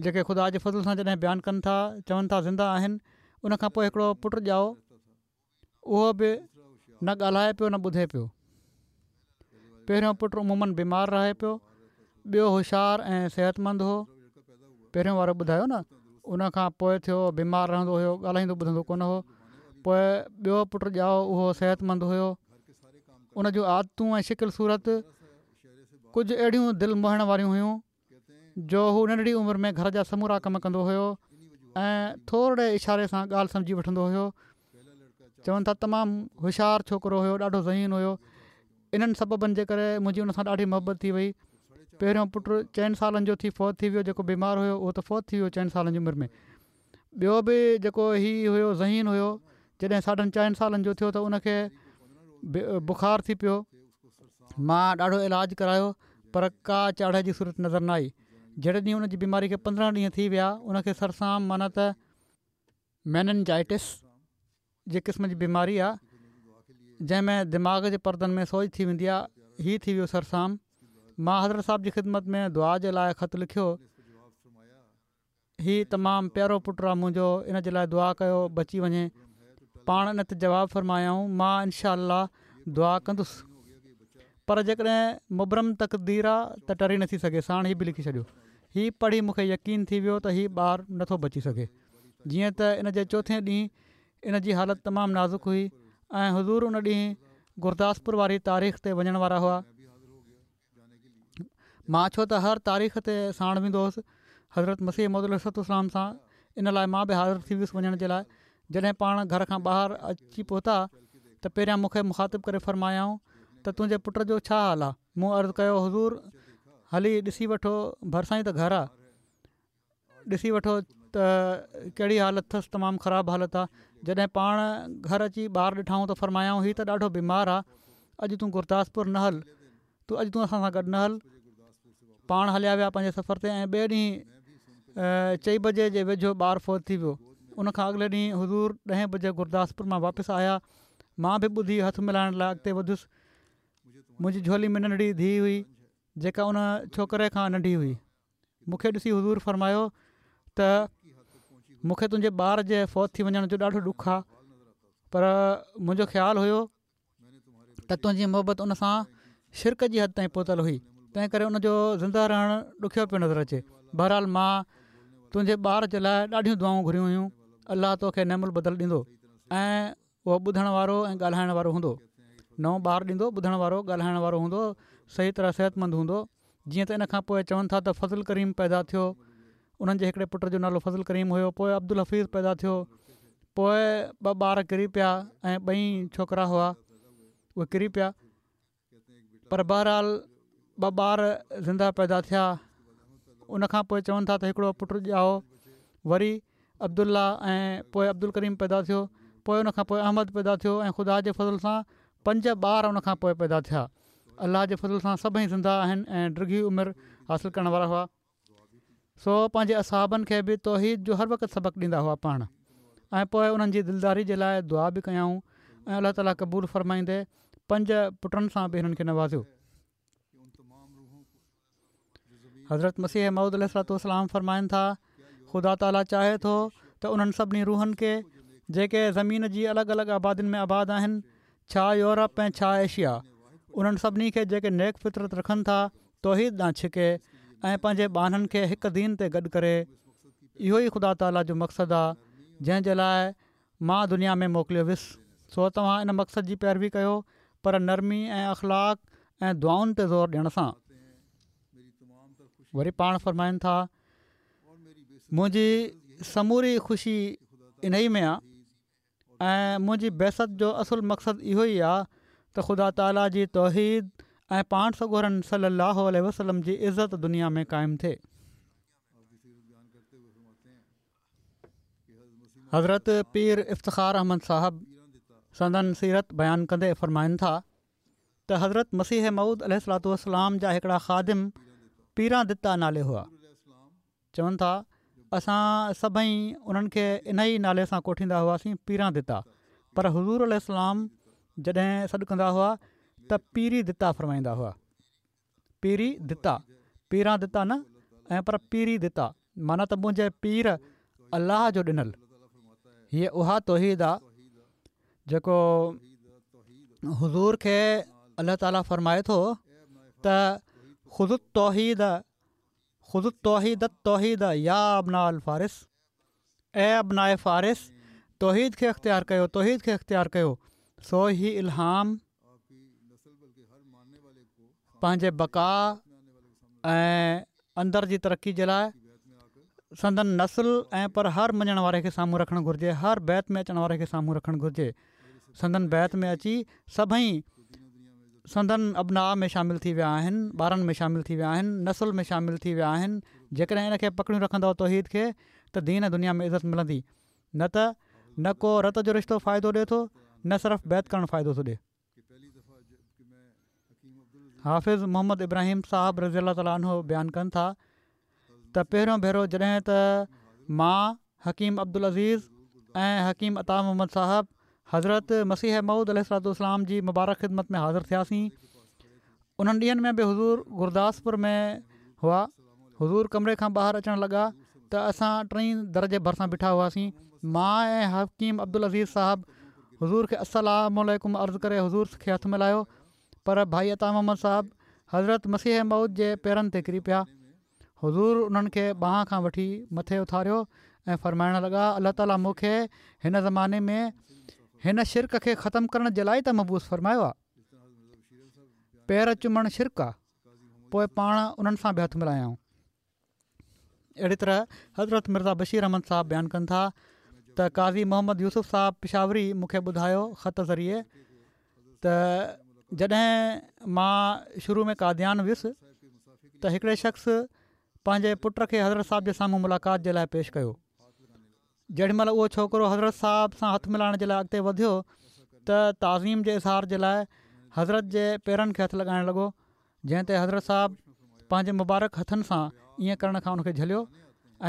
جيڪي خدا جي فضل سان جڏهن بيان ڪن ٿا چون ٿا زنده آهن ان کان پوء هڪڙو پٽ ڄائو اهو به نه ڳالهائي پيو نه ٻڌي پيو. پهريون پٽ عموماً بيمار رهي پيو، ٻيو هوشيار ۽ صحتمند هو. پهريون وارو ٻڌايو نه ان کان پوء ٿيو بيمار رهندو هيو ڳالهائيندو ٻڌندو ڪونه هو. پوء ٻيو پٽ ڄائو اهو صحتمند هيو. ان جون عادتون ۽ شڪل صورت ڪجهه اهڙيون دل موهڻ واريون هيون. جو هو ننڍڙي عمر ۾ گهر جا سمورا ڪم ڪندو هيو ۽ ٿورڙي اشاري سان ڳالهه سمجهي وٺندو هيو چون ٿا تمام هوشيار ڇوڪرو هيو ڏاڍو ذهين هيو انهن سببن جي ڪري منهنجي ان سان ڏاڍي محبت ٿي وئي پهريون پٽ چئن سالن جو ٿي فوت ٿي ويو جيڪو بيمار هيو اهو ته فوت ٿي ويو چئن سالن جي عمر ۾ ٻيو به جيڪو هي هيو ذهين هيو جڏهن ساڍن چئن سالن جو ٿيو ته ان کي بخار ٿي پيو مان ڏاڍو علاج ڪرايو پر ڪا چاڙهي جي صورت نظر نه آئي. جهڙي ڏينهن ان جي بيماري کي پندرهن ڏينهن ٿي ويا ان کي سرسام معنيٰ ته ميننجائٽس جي قسم جي بيماري آ جنهن ۾ دماغ جي پردن ۾ سوڄ ٿي ويندي آ هي ٿي ويو سرسام. مان حضرت صاحب جي خدمت ۾ دعا جي لاء خط لکيو. هي تمام پيارو پٽ آ منهنجو ان جي لاء دعا ڪيو بچي وڃي پاڻ ان تي جواب فرمايائون مان انشاء الله دعا ڪندس پر جيڪڏهن مبرم تقدير آ ته ٽري نٿي سگهي ساڻ هي به لکي ڇڏيو هي پڙهي مون کي يقين ٿي ويو ته هي ٻار نٿو بچي سگهي جيئن ته ان جي چوٿين ڏينهن ان جي حالت تمام نازڪ هئي ۽ حضور ان ڏينهن گرداسپور واري تاريخ تي وڃڻ وارا هئا مان ڇو ته هر تاريخ تي ساڻ ويندو هوس حضرت مسيح موعود عليه الصلوة والسلام سان ان لاء مان به حاضر ٿي ويس وڃڻ جي لاء جڏهن پاڻ گهر کان ٻاهر اچي پهتا ته پهريان مون کي مخاطب ڪري فرمايائون ته تنهنجي پٽ جو ڇا حال آهي مون عرض ڪيو حضور هلي ڏسي وٺو ڀرسان ئي ته گهر آهي ڏسي وٺو ته ڪهڙي حالت اٿس تمام خراب حالت آ جڏهن پاڻ گهر اچي ٻار ڏٺائون ته فرمايائون هي ته ڏاڍو بيمار آ اڄ تون گرداسپور نه هل تون اڄ تون اسان سان گڏ نه هل پاڻ هليا ويا پنهنجي سفر تي ۽ ٻئي ڏينهن چئين بجي جي ويجهو ٻار فوت ٿي ويو ان کان اڳلي ڏينهن حضور ڏهين بجي گرداسپور مان واپس آيا مان به ٻڌي هٿ ملائڻ لاء اڳتي وڌيس منهنجي جهولي ۾ ننڍڙي ڌيء هئي جيڪا ان ڇوڪري کان ننڍي هئي. مون کي ڏسي حضور فرمايو ته مون کي تنهنجي ٻار جي فوت ٿي وڃڻ جو ڏاڍو ڏک آهي، پر منهنجو خيال هيو ته تنهنجي محبت ان سان شرڪ جي حد تائين پهتل هئي، تنهن ڪري ان جو زنده رهڻ ڏکيو پيو نظر اچي. بهرحال مان تنهنجي ٻار جي لاءِ ڏاڍيون دعائون گهريون هيون، الله توکي نعم البدل ڏيندو ۽ اهو ٻڌڻ وارو ۽ ڳالهائڻ وارو هوندو. نئون ٻار ڏيندو، ٻڌڻ وارو ڳالهائڻ وارو هوندو، صحيح طرح صحتمند هوندو. جيئن ته ان کان پوءِ چون ٿا ته فضل ڪريم پيدا ٿيو، انهن جي هڪڙي پٽ جو نالو فضل ڪريم هيو. پوءِ عبدالحفيظ پيدا ٿيو، پوءِ ٻه ٻار ڪري پيا ۽ ٻئي ڇوڪرا هئا، اهي ڪري پيا، پر بهرحال ٻه ٻار زنده پيدا ٿيا. ان کان پوءِ چون ٿا ته هڪڙو پٽ ڄائو، وري عبدالله ۽ پوءِ عبدالڪريم پيدا ٿيو، پوءِ ان کان پوءِ احمد پيدا ٿيو ۽ خدا جي فضل سان پنج ٻار ان کان پوءِ پيدا ٿيا. الله جي فضل سان سڀئي زنده آهن ۽ ڊگهي عمر حاصل ڪرڻ وارا هئا. سو پنهنجي اصحابن کي به توحيد جو هر وقت سبق ڏيندا هئا پاڻ، ۽ پوءِ انهن جي دلداري جي لاءِ دعا به ڪيائون ۽ الله تعاليٰ قبول فرمائيندي پنج پٽن سان به هنن کي نوازيو. حضرت مسيح موعود عليه الصلوة والسلام فرمائن ٿا، خدا تعاليٰ چاهي ٿو ته انهن سڀني روحن کي جيڪي زمين جي الڳ الڳ آبادين ۾ آباد آهن، ڇا يورپ ۽ ڇا ايشيا، انهن سڀني کي جيڪي نيڪ فطرت رکن ٿا توحيد ڏانهن ڇڪي ۽ پنهنجي ٻانهن کي هڪ دين تي گڏ ڪري. اهو ئي خدا تعاليٰ جو مقصد آهي جنهن جي لاءِ مان دنيا ۾ موڪليو ويس. سو توهان ان مقصد جي پيروي ڪيو، پر نرمي ۽ اخلاق ۽ دعائن تي زور ڏيڻ سان. وري پاڻ فرمائن ٿا، منهنجي سموري خوشي انهي ۾ آهي ۽ منهنجي بعثت جو اصل مقصد اهو ئي آهي ته خدا تعاليٰ جي توحيد ۽ پاڻ سڳورن صلي الله عليه وسلم جي عزت دنيا ۾ قائم ٿئي. حضرت پير افتخار احمد صاحب سندن سيرت بيان ڪندي فرمائن ٿا ته حضرت مسيح موعود عليه الصلوة والسلام جا هڪڙا خادم پيران دتا نالي هئا. چون ٿا اسان سڀئي انهن کي ان ئي نالي سان ڪوٺيندا هئاسين، پيران دتا، پر حضور عليه السلام جڏهن سڏ ڪندا هئا ته پيري دتا فرمائيندا هئا. پيري دتا، پيران دتا نه، ۽ پر پيري دتا معنيٰ ته منهنجي پير الله جو ڏنل. هيءَ اها توحيد آهي جيڪو حضور کي الله تعاليٰ فرمائي ٿو ته خذ التوحيد خذ التوحيد التوحيد يا ابناء الفارس، اي ابناء فارس توحيد کي اختيار ڪيو، توحيد کي اختيار ڪيو. سو هي الهام پنهنجي بقا ۽ اندر جي ترقي جي لاءِ سندن نسل ۽ پر هر مڃڻ واري کي سامهون رکڻ گهرجي، هر بيعت ۾ اچڻ واري کي سامهون رکڻ گهرجي. سندن بيعت ۾ اچي سڀئي سندن ابناء ۾ شامل ٿي ويا آهن، ٻارن ۾ شامل ٿي ويا آهن، نسل ۾ شامل ٿي ويا آهن. جيڪڏهن ان کي پڪڙيون رکندؤ توحيد کي ته دين دنيا ۾ عزت ملندي، نه ته نه ڪو رت جو رشتو فائدو ڏئي ٿو، نه صرف بيعت ڪرڻ فائدو ٿو ڏئي. حافظ محمد ابراهيم صاحب رضي الله تعاليٰ عنه بيان ڪن ٿا ته پهريون ڀيرو جڏهن ته مان حڪيم عبدالعزيز ۽ حڪيم عطا محمد صاحب حضرت مسيح موعود عليه الصلوة والسلام جي مبارڪ خدمت ۾ حاضر ٿياسين، انهن ڏينهن ۾ به حضور گرداسپور ۾ هئا. حضور ڪمري کان ٻاهر اچڻ لڳا ته اسان ٽئي در جي ڀرسان بيٺا هئاسين. مان ۽ حڪيم عبدالعزيز صاحب حضور کي السلام عليڪم عرض ڪري حضور کي هٿ ملايو، پر ڀائي عطا محمد صاحب حضرت مسيح موعود جي پيرن تي ڪري پيا. حضور انهن کي ٻانهن کان وٺي مٿي اٿاريو ۽ فرمائڻ لڳا، الله تعاليٰ مون کي هن زماني ۾ هن شرڪ کي ختم ڪرڻ جي لاءِ ته مبعوث فرمايو آهي. پير چمڻ شرڪ آهي. پوءِ پاڻ انهن سان به هٿ ملايائون. اهڙي طرح حضرت مرزا بشير احمد صاحب بيان ڪن ٿا ته قاضي محمد يوسف صاحب پشاوري مون کي ٻڌايو خط ذريعي ته جڏهن مان شروع ۾ قاديان ويس ته هڪڙي شخص پنهنجي پٽ کي حضرت صاحب جي سامهون ملاقات جي لاءِ پيش ڪيو. جيڏي مهل اهو ڇوڪرو حضرت صاحب سان هٿ ملائڻ جي لاءِ اڳتي وڌيو ته تعظيم جي اظهار جي لاءِ حضرت جي پيرن کي هٿ لڳائڻ لڳو، جنهن تي حضرت صاحب پنهنجي مبارڪ هٿن سان ائين ڪرڻ کان ان کي جهليو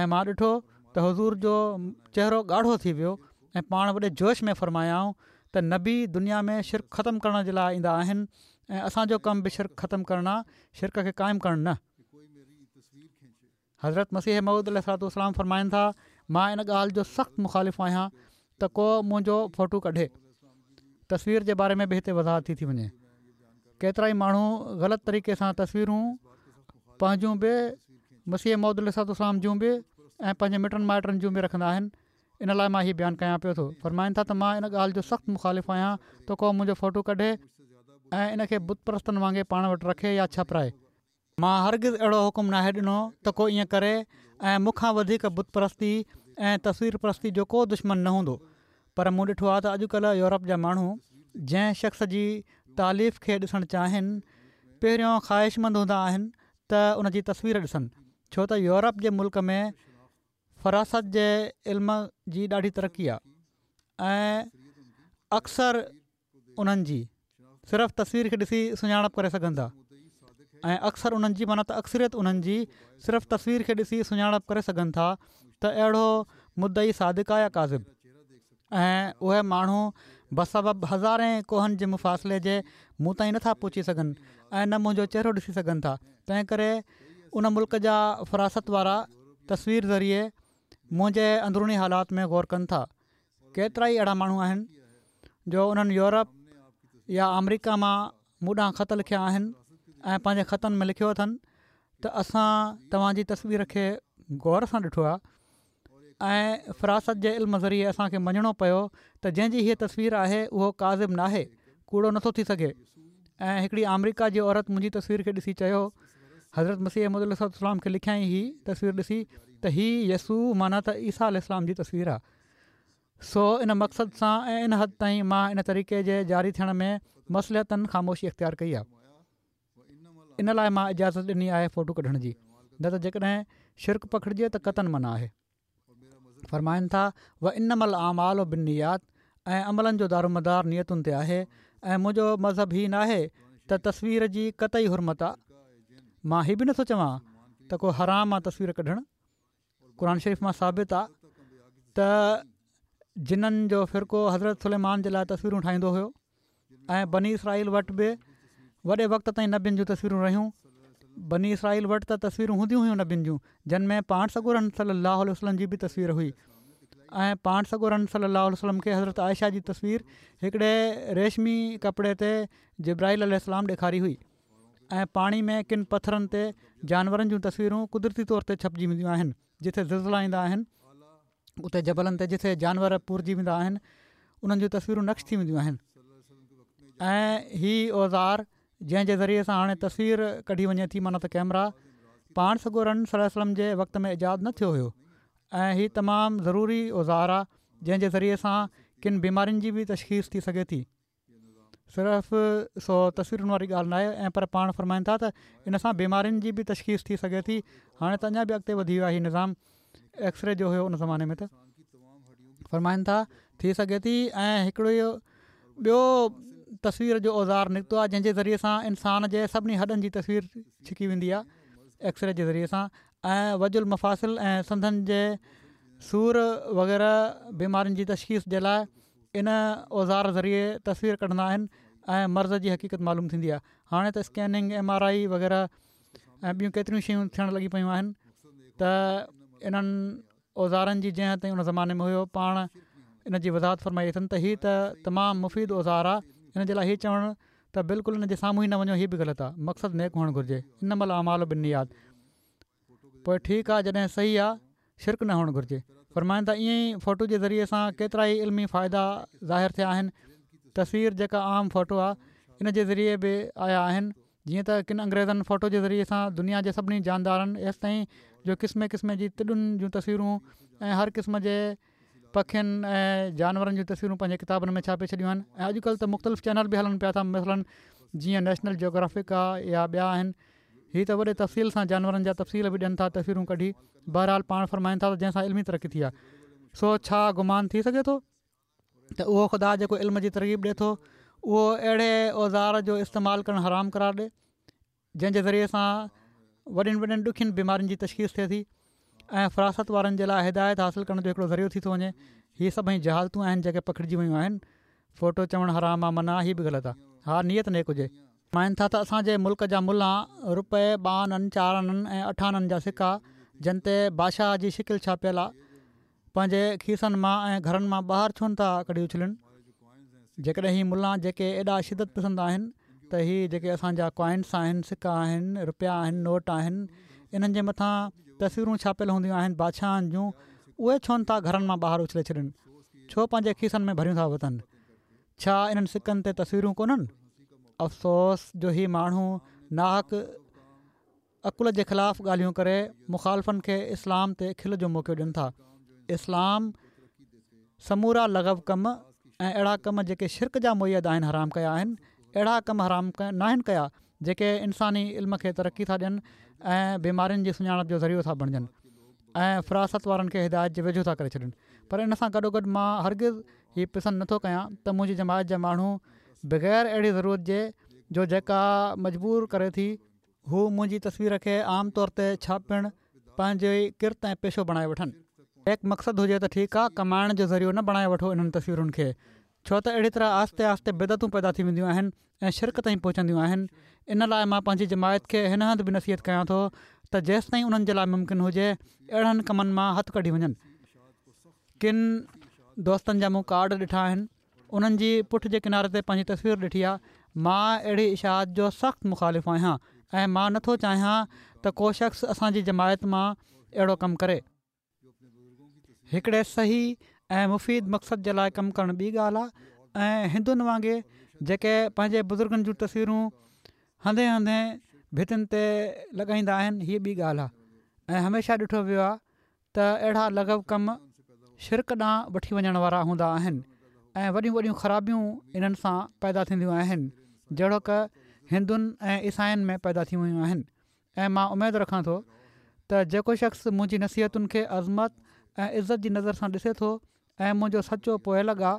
۽ مان ڏٺو ته حضور جو چهرو ڳاڙهو ٿي ويو ۽ پاڻ وڏي جوش ۾ فرمايائون ته نبي دنيا ۾ شرڪ ختم ڪرڻ جي لاءِ ايندا آهن ۽ اسان جو ڪم به شرڪ ختم ڪرڻ آ، شرڪ کي قائم ڪرڻ نه. حضرت مسيح موعود عليه الصلوة والسلام فرمائن ٿا، مان ان ڳالهه جو سخت مخالف آهيان ته ڪو منهنجو فوٽو ڪڍي. تصوير جي باري ۾ به هتي وضاحت ٿي ٿي وڃي. ڪيترائي ماڻهو غلط طريقي سان تصويرون پنهنجون به مسيح موعود عليه الصلوة والسلام جون به ۽ پنهنجي مٽن مائٽن جون به رکندا آهن. ان لاء مان هي بيان ڪيان پيو ٿو. فرمائن ٿا ته مان ان ڳالهه جو سخت مخالف آهيان ته ڪو منهنجو فوٽو ڪڍي ۽ ان کي بت پرستن وانگي پاڻ وٽ رکي يا ڇپرائي. مان هرگز اهڙو حڪم ناهي ڏنو ته ڪو ائين ڪري ۽ مون کان وڌيڪ بت پرستي ۽ تصوير پرستي جو ڪو دشمن نه هوندو. پر مون ڏٺو آهي ته اڄڪلهه يورپ جا ماڻهو جنهن شخص جي تاليف کي ڏسڻ چاهين پهريون خواهشمند هوندا آهن ته ان جي تصوير ڏسن ڇو ته يورپ جي ملڪ ۾ فراست جي علم جي ڏاڍي ترقي آهي ۽ اڪثر انهن جي صرف تصوير کي ڏسي سڃاڻپ ڪري سگهن ٿا ۽ اڪثر انهن جي معنيٰ ته اڪثريت انهن جي صرف تصوير کي ڏسي سڃاڻپ ڪري سگهن ٿا ته اهڙو مدعي صادق آهي يا ڪاذب ۽ اهي ماڻهو بسبب هزارين ڪوهن جي مفاصلي جي مون تائين نٿا پهچي سگهن ۽ نه منهنجو چهرو ڏسي سگهن ٿا تنهن ڪري ان ملڪ جا فراست وارا تصوير ذريعي منهنجي اندروني حالات ۾ غور ڪن ٿا. ڪيترائي اهڙا ماڻهو آهن جو انهن يورپ يا آمريڪا مان مون ڏانهن خط لکيا آهن ۽ پنهنجي خطن ۾ لکيو اٿن ته اسان توهان جي تصوير کي غور سان ڏٺو آهي ۽ فراست جي علم ذريعي اسان کي مڃڻو پيو ته جنهن جي هيء تصوير آهي اهو ڪاذب ناهي، ڪوڙو نٿو ٿي سگهي ۽ هڪڙي آمريڪا جي عورت منهنجي تصوير کي ڏسي چيو حضرت مسيح موعود عليه الصلوة والسلام کي لکيائين هي تصوير ڏسي ته هي يسوع معنيٰ ته عيسيٰ عليه السلام جي تصوير آهي. سو ان مقصد سان ۽ ان حد تائين مان ان طريقي جي جاري ٿيڻ ۾ مصلحتاً خاموشي اختيار ڪئي آهي. ان لاء مان اجازت ڏني آهي فوٽو ڪڍڻ جي. نه ته جيڪڏهن شرڪ پکڙجي ته قطعاً منع آهي. فرمائن ٿا وانما الاعمال بالنيات ۽ عملن جو دارومدار نيتن تي آهي ۽ منهنجو مذهب هي ناهي ته تصوير جي قطعي حرمت آ مان هي به نٿو چوان ته ڪو حرام آ تصوير ڪڍڻ قرآن شريف مان ثابت آ ته جنن جو فرقو حضرت سليمان جي لاء تصويرون ٺاهيندو هيو ۽ بني اسرائيل وٽ به وڏي وقت تائين نبين جون تصويرون رهيون. بني اسرائيل وٽ ته تصويرون هونديون هيون نبين جون جن ۾ پاڻ سڳورن صلي الله عليه وسلم جي به تصوير هئي ۽ پاڻ سڳورن صلي الله عليه وسلم کي حضرت عائشه جي تصوير هڪڙي ريشمي ڪپڙي تي جبرائيل عليه السلام ڏيکاري هئي ۽ پاڻي ۾ ڪن پٿرن تي جانورن جون تصويرون قدرتي طور تي ڇپجي وينديون آهن جتي زلزلا ايندا آهن اتي جبلن تي جتي جانور پورجي ويندا آهن انهن جون تصويرون نقش ٿي وينديون آهن ۽ هي اوزار جنهن جي ذريعي سان هاڻي تصوير ڪڍي وڃي ٿي معنيٰ ته ڪئميرا پاڻ سڳورن صلي الله عليه وسلم جي وقت ۾ ايجاد نه ٿيو هيو ۽ هي تمام ضروري اوزار آ جنهن جي ذريعي سان ڪن بيمارين جي به تشخيص ٿي سگهي ٿي صرف سو تصويرن واري ڳالهه ناهي ۽ پر پاڻ فرمائن ٿا ته ان سان بيمارين جي به تشخيص ٿي سگهي ٿي هاڻي ته اڃا به اڳتي وڌي ويو آهي هي نظام ايڪسري جو هيو ان زماني ۾ ته فرمائن ٿا ٿي سگهي ٿي ۽ هڪڙو ٻيو تصوير جو اوزار نڪتو آهي جنهن جي ذريعي سان انسان جي سڀني هڏن جي تصوير ڇڪي ويندي آهي ايڪسري جي ذريعي سان ۽ وجع المفاصل ۽ سنڌن جي سور وغيره بيمارين جي تشخيص جي لاء ان اوزار ذريعي تصوير ڪڍندا آهن ۽ مرض جي حقيقت معلوم ٿيندي آهي هاڻي ته اسڪيننگ ايم آر I وغيره ۽ ٻيون ڪيتريون شيون ٿيڻ لڳي پيون آهن ته انهن اوزارن جي جنهن حد تائين ان زماني ۾ هيو پاڻ ان جي وضاحت فرمائي اٿن ته هي ته تمام مفيد اوزار آ ان جي لاء هي چوڻ ته بلڪل ان جي سامهون ئي نه وڃو هي به غلط آ مقصد نيڪ هئڻ گهرجي انما الاعمال بالنيات پوء ٺيڪ آ جڏهن صحيح آ شرڪ نه هئڻ گهرجي فرمائن ٿا ائين ئي فوٽو جي ذريعي سان ڪيترائي علمي فائدا ظاهر ٿيا آهن تصوير جيڪا عام فوٽو آ ان جي ذريعي به آيا آهن جيئن ته ڪن انگريزن فوٽو جي ذريعي سان دنيا جي سڀني جاندارن ايستائين جو قسمين قسمين جي تڏن جون تصويرون ۽ هر قسم جي پکين ۽ جانورن جون تصويرون پنهنجي ڪتابن ۾ ڇاپي ڇڏيون آهن ۽ اڄڪلهه ته مختلف چينل به هلن پيا ٿا مثلاً جيئن نيشنل جيوگرافڪ آ يا ٻيا آهن هي ته وڏي تفصيل سان جانورن جا تفصيل به ڏين ٿا تصويرون ڪڍي بهرحال پاڻ فرمائن ٿا ته جنهن سان علمي ترقي ٿي آهي سو ڇا گمان ٿي سگهي ٿو ته اهو خدا جيڪو علم جي ترغيب ڏي ٿو اهو اهڙي اوزار جو استعمال ڪرڻ حرام قرار ڏي جنهن جي ذريعي سان وڏين وڏين ڏکين بيمارين جي تشخيص ٿئي ٿي ۽ فراست وارن جي لاء هدايت حاصل ڪرڻ جو هڪڙو ذريعو ٿي ٿو وڃي هي سڀئي جهالتون آهن جيڪي پکڙجي ويون آهن فوٽو چوڻ حرام آ منع هي به غلط آ ها نيت نيڪ هجي. فرمائن ٿا ته اسان جي ملڪ جا ملان رپئي، ٻه آنن، چار آنن ۽ اٺ آنن جا سڪا جن تي بادشاهه جي شڪل ڇاپيل آ، پنهنجي کيسن مان ۽ گهرن مان ٻاهر ڇو نه ٿا ڪڍي اڇلين؟ جيڪڏهن هي ملان جيڪي ايڏا شدت پسند آهن ته هي جيڪي اسان جا ڪوائنس آهن، سڪا آهن، رپيا آهن، نوٽ آهن، انهن جي مٿان تصويرون ڇاپيل هونديون آهن بادشاهن جون، اهي ڇو نه ٿا گهرن مان ٻاهر اڇلي ڇڏين؟ ڇو پنهنجي کيسن ۾ ڀريون ٿا وتن؟ ڇا انهن سڪن تي تصويرون ڪونهن؟ افسوس جو هي ماڻهو ناحق عقل جي خلاف ڳالهيون ڪري مخالفن کي اسلام تي کل جو موقعو ڏين ٿا. اسلام سمورا لغو ڪم ۽ اهڙا ڪم جيڪي شرڪ جا موجب آهن حرام ڪيا آهن، اهڙا ڪم حرام ناهن ڪيا جيڪي انساني علم کي ترقي ٿا ڏين ۽ بيمارين جي سڃاڻپ جو ذريعو ٿا بڻجن ۽ فراست وارن کي هدايت جي ويجهو ٿا ڪري ڇڏين پر ان سان گڏوگڏ مان هرگز هي پسند نٿو ڪيان ته منهنجي جماعت جا ماڻهو بغير اهڙي ضرورت جي جو جيڪا مجبور ڪري ٿي، هو منهنجي تصوير کي عام طور تي ڇاپڻ پنهنجي ڪرت ۽ پيشو بڻائي وٺن. نيڪ مقصد هجي ته ٺيڪ آ، ڪمائڻ جو ذريعو نه بڻائي وٺو انهن تصويرن کي، ڇو ته اهڙي طرح آهستي آهستي بدعتون پيدا ٿي وينديون آهن ۽ شرڪ تائين پهچنديون آهن، ان لاء مان پنهنجي جماعت کي هن هنڌ به نصيحت ڪيان ٿو ته جيستائين انهن جي لاء ممڪن هجي اهڙن ڪمن مان هٿ ڪڍي وڃن. ڪن دوستن جا مون ڪارڊ ڏٺا آهن انهن جي پٺ جي ڪناري تي پنهنجي تصوير ڏٺي آهي مان اهڙي اشاعت جو سخت مخالف آهيان ۽ مان نٿو چاهيان ته ڪو شخص اسان جي جماعت مان اهڙو ڪم ڪري. هڪڙي صحيح ۽ مفيد مقصد جي لاء ڪم ڪرڻ ٻي ڳالهه آهي ۽ هندن وانگي جيڪي پنهنجي بزرگن جون تصويرون هنڌين هنڌين ڀتين تي لڳائيندا آهن هيء ٻي ڳالهه آهي ۽ هميشه ڏٺو ويو آهي ته اهڙا لغو ڪم شرڪ ڏانهن وٺي وڃڻ وارا هوندا آهن ۽ وڏيون وڏيون خرابيون انهن سان پيدا ٿينديون آهن جهڙوڪ هندن ۽ عيسائين ۾ پيدا ٿي ويون آهن ۽ مان اميد رکان ٿو ته جيڪو شخص منهنجي نصيحتن کي عظمت ۽ عزت جي نظر سان ڏسي ٿو ۽ منهنجو سچو پوئلڳ آ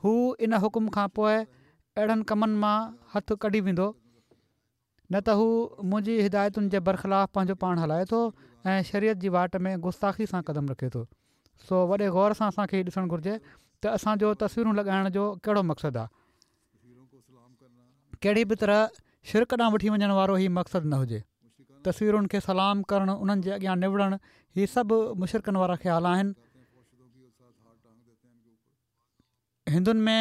هو ان حڪم کان پوء اهڙن ڪمن مان هٿ ڪڍي ويندو نه ته هو منهنجي هدايتن جي برخلاف پنهنجو پاڻ هلائي ٿو ۽ شريعت جي واٽ ۾ گستاخي سان قدم رکي ٿو. سو وڏي غور سان اسان کي هي ڏسڻ گهرجي ته اسان جو تصويرون لڳائڻ جو ڪهڙو مقصد آ. ڪهڙي به طرح شرڪ ڏانهن وٺي وڃڻ وارو هي مقصد نه هجي. تصويرن کي سلام ڪرڻ انهن جي اڳيان نوڙڻ هي سڀ مشرڪن وارا خيال آهن. هندن ۾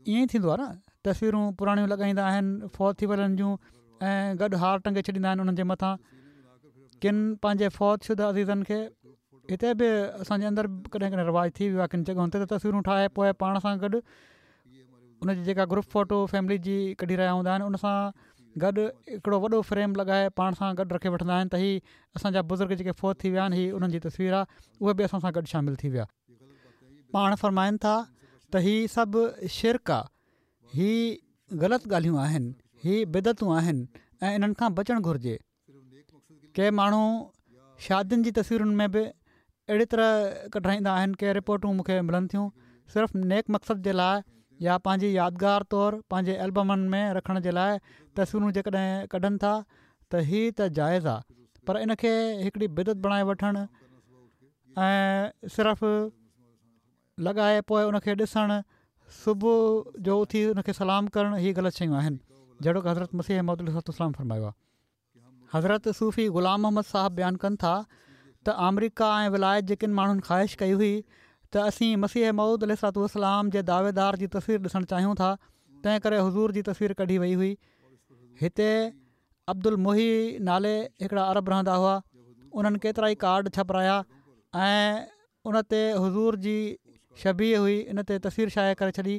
ائين ئي ٿيندو آهي نه تصويرون پراڻيون لڳائيندا آهن فوت ٿي ويلن جون ۽ گڏ هار ٽنگي ڇڏيندا آهن انهن جي مٿان ڪن پنهنجي فوت شده عزيزن کي هتي به اسانجي اندر به ڪڏهن ڪڏهن رواج ٿي ويو آهي ڪن جڳهن تي ته تصويرون ٺاهي پوء پاڻ سان گڏ ان جي جيڪا گروپ فوٽو فيملي جي ڪڍي رهيا هوندا آهن ان سان گڏ هڪڙو وڏو فريم لڳائي پاڻ سان گڏ رکي وٺندا آهن ته هي اسانجا بزرگ جيڪي فوت ٿي ويا آهن هي انهن جي تصوير آهي اهي به اسان سان گڏ شامل ٿي ويا پاڻ فرمائن ٿا ته هي سڀ شرڪ آ، هي غلط ڳالهيون آهن، هي بدعتون آهن ۽ انهن کان بچڻ گهرجي. ڪي ماڻهو شادين جي تصويرن ۾ به اهڙي طرح ڪڍرائيندا آهن، ڪي رپورٽون مون کي ملن ٿيون، صرف نيڪ مقصد جي لاء يا پنهنجي يادگار طور پنهنجي البمن ۾ رکڻ جي لاء تصويرون جيڪڏهن ڪڍن ٿا ته هي ته جائز آ پر ان کي هڪڙي بدعت بڻائي وٺڻ ۽ صرف لڳائي پوء ان کي ڏسڻ، صبح جو اٿي ان کي سلام ڪرڻ هي غلط شيون آهن جهڙوڪ حضرت مسيح موعود عليه الصلوة والسلام فرمايو آهي. حضرت صوفي غلام محمد صاحب بيان ڪن ٿا ته آمريڪا ۽ ولايت جي ڪن ماڻهن خواهش ڪئي هئي ته اسين مسيح موعود عليه الصلوة والسلام جي دعويدار جي تصوير ڏسڻ چاهيون ٿا تنهن ڪري حضور جي تصوير ڪڍي وئي هئي هتي عبدالمحي نالي هڪڙا عرب رهندا هئا انهن ڪيترائي ڪارڊ ڇپرايا ۽ ان تي حضور جي شبيهه هئي ان تي تصوير شايع ڪري ڇڏي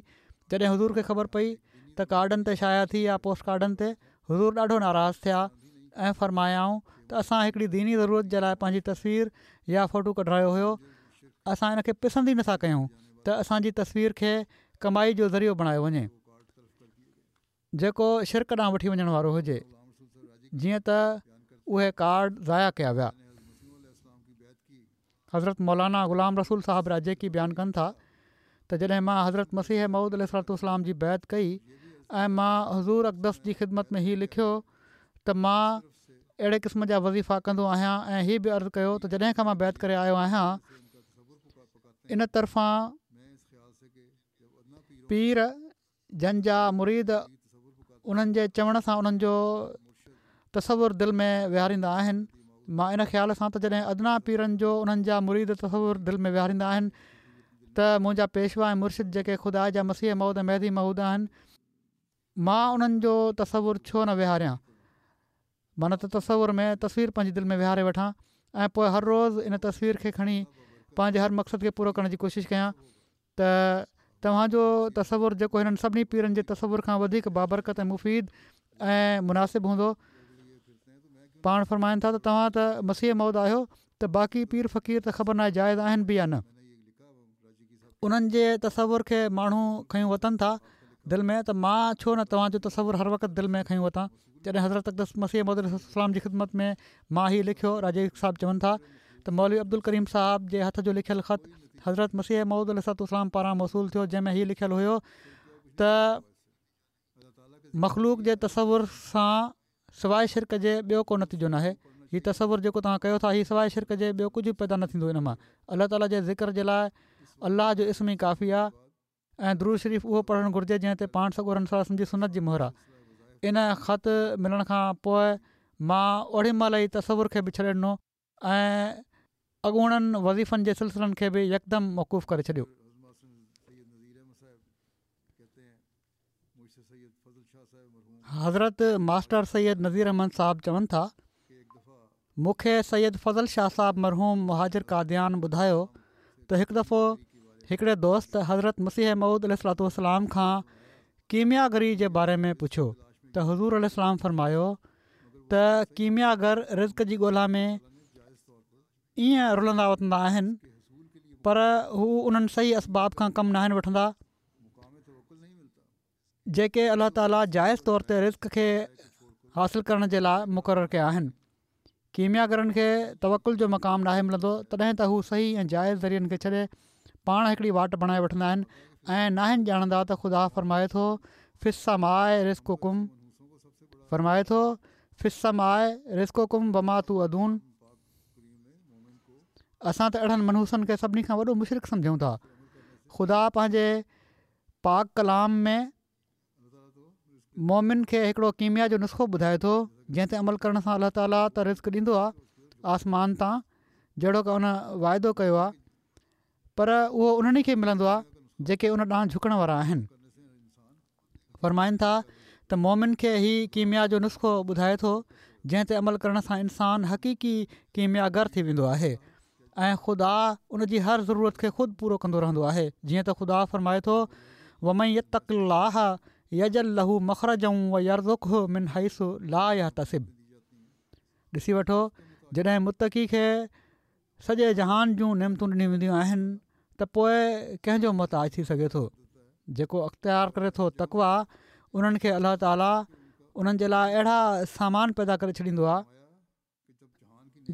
جڏهن حضور کي خبر پئي ته ڪارڊن تي شايع ٿي يا پوسٽ ڪارڊن تي حضور ڏاڍو ناراض ٿيا ۽ فرمايائون ته اسان هڪڙي ديني ضرورت جي لاء پنهنجي تصوير يا فوٽو ڪڍرايو هيو اسان ان کي پسند ئي نٿا ڪيون ته اسان جي تصوير کي ڪمائي جو ذريعو بڻايو وڃي. جيڪو شرڪ ڏانهن وٺي وڃڻ وارو هجي، جيئن ته اهي ڪارڊ ضايع ڪيا ويا. حضرت مولانا غلام رسول صاحب راجيڪي بيان ڪن ٿا ته جڏهن مان حضرت مسيح موعود عليه الصلوة والسلام جي بيعت ڪئي ۽ مان حضور اقدس جي خدمت ۾ هي لکيو ته مان اهڙي قسم جا وظيفا ڪندو آهيان ۽ هي به عرض ڪيو ته جڏهن کان مان بيعت ڪري آيو آهيان ان طرفان پير جن جا مريد انهن جي چوڻ سان انهن جو تصور دل ۾ ويهاريندا آهن. مان ان خيال سان ته جڏهن ادنيٰ پيرن جو انهن جا مريد تصور دل ۾ ويهاريندا آهن ته منهنجا پيشوا ۽ مرشد جيڪي خدا جا مسيح موعود ۽ مهدي موعود آهن، مان انهن جو تصور ڇو نه ويهاريان؟ معنيٰ ته تصور ۾ تصوير پنهنجي دل ۾ ويهاري وٺان ۽ پوء هر روز ان تصوير کي کڻي پنهنجي هر مقصد کي پورو ڪرڻ جي ڪوشش ڪيان ته توهان جو تصور جيڪو هنن سڀني پيرن جي تصور کان وڌيڪ بابرڪت ۽ مفيد ۽ مناسب هوندو. پاڻ فرمائن ٿا ته توهان ته مسيح موعود آهيو ته باقي پير فقير ته خبر ناهي جائز آهن به يا نه. انهن جي تصور کي ماڻهو کنيون وتن ٿا دل ۾ ته مان ڇو نه توهان جو تصور هر وقت دل ۾ کنيون وتان. جڏهن حضرت اقدس مسيح موعود عليه السلام جي خدمت ۾ مان هي لکيو، راجائي صاحب چون ٿا ته مولوي عبدالڪريم صاحب جي هٿ جو لکيل خط حضرت مسيح موعود عليه السلام پاران موصول ٿيو، جنهن ۾ هي لکيل هيو ته مخلوق جي تصور سان سواء شرڪ جي ٻيو ڪو نتيجو ناهي. هي تصور جيڪو توهان ڪيو ٿا هي سواء شرڪ جي ٻيو ڪجهه به پيدا نه ٿيندو ان مان. الله تعاليٰ جي ذڪر جي لاء الله جو اسم ئي ڪافي آهي ۽ درود شريف اهو پڙهڻ گهرجي جنهن تي پاڻ سڳورن صلي الله عليه وسلم جي سنت جي مهر آهي. ان خط ملڻ کان پوء مان اوڏي مهل ئي تصور کي به ڇڏي ڏنو ۽ اڳوڻن وظيفن جي سلسلن کي به يڪدم موقوف ڪري ڇڏيو. حضرت ماسٽر سيد نذير احمد صاحب چون ٿا، مون کي سيد فضل شاهه صاحب مرحوم مهاجر قاديان ٻڌايو ته هڪ دفعو هڪڙي دوست حضرت مسيح موعود عليه الصلوة والسلام کان ڪيمياگري جي باري ۾ پڇيو ته حضور عليه السلام فرمايو ته ڪيمياگر رزق جي ڳولا ۾ ائين رلندا وتندا آهن پر هو انهن صحيح اسباب کان ڪم ناهن وٺندا جيڪي الله تعاليٰ جائز طور تي رزق کي حاصل ڪرڻ جي لاء مقرر ڪيا آهن. ڪيمياگرن کي توڪل جو مقام ناهي ملندو تڏهن ته هو صحيح ۽ جائز ذريعن کي ڇڏي پاڻ هڪڙي واٽ بڻائي وٺندا آهن ۽ ناهن ڄاڻندا ته خدا فرمائي ٿو في السماء رزقڪم فرمائي ٿو في السماء رزقڪم وما توعدون اسان ته اهڙن منحوسن کي سڀني کان وڏو مشرڪ سمجهون ٿا. خدا پنهنجي پاڪ ڪلام ۾ مومن کي هڪڙو ڪيميا جو نسخو ٻڌائي ٿو جنهن تي عمل ڪرڻ سان الله تعاليٰ ته رزق ڏيندو آهي آسمان تان جهڙوڪ ان واعدو ڪيو آهي پر اهو انهن کي ملندو آهي جيڪي ان ڏانهن جهڪڻ وارا آهن. فرمائن ٿا ته مومن کي هي ڪيميا جو نسخو ٻڌائي ٿو جنهن تي عمل ڪرڻ سان انسان حقيقي ڪيمياگر ٿي ويندو آهي ۽ خدا ان جي هر ضرورت کي خود پورو ڪندو رهندو آهي جيئن ته خدا فرمائي ٿو ومن يتق الله يجعل له مخرجا ويرزقه من حيث لا يحتسب ڏسي وٺو جڏهن متقي کي سڄي جهان جون نعمتون ڏنيون وينديون آهن ته پوء ڪنهن جو محتاج ٿي سگهي ٿو جيڪو اختيار ڪري ٿو تقويٰ انهن کي الله تعاليٰ انهن جي لاء اهڙا سامان پيدا ڪري ڇڏيندو آهي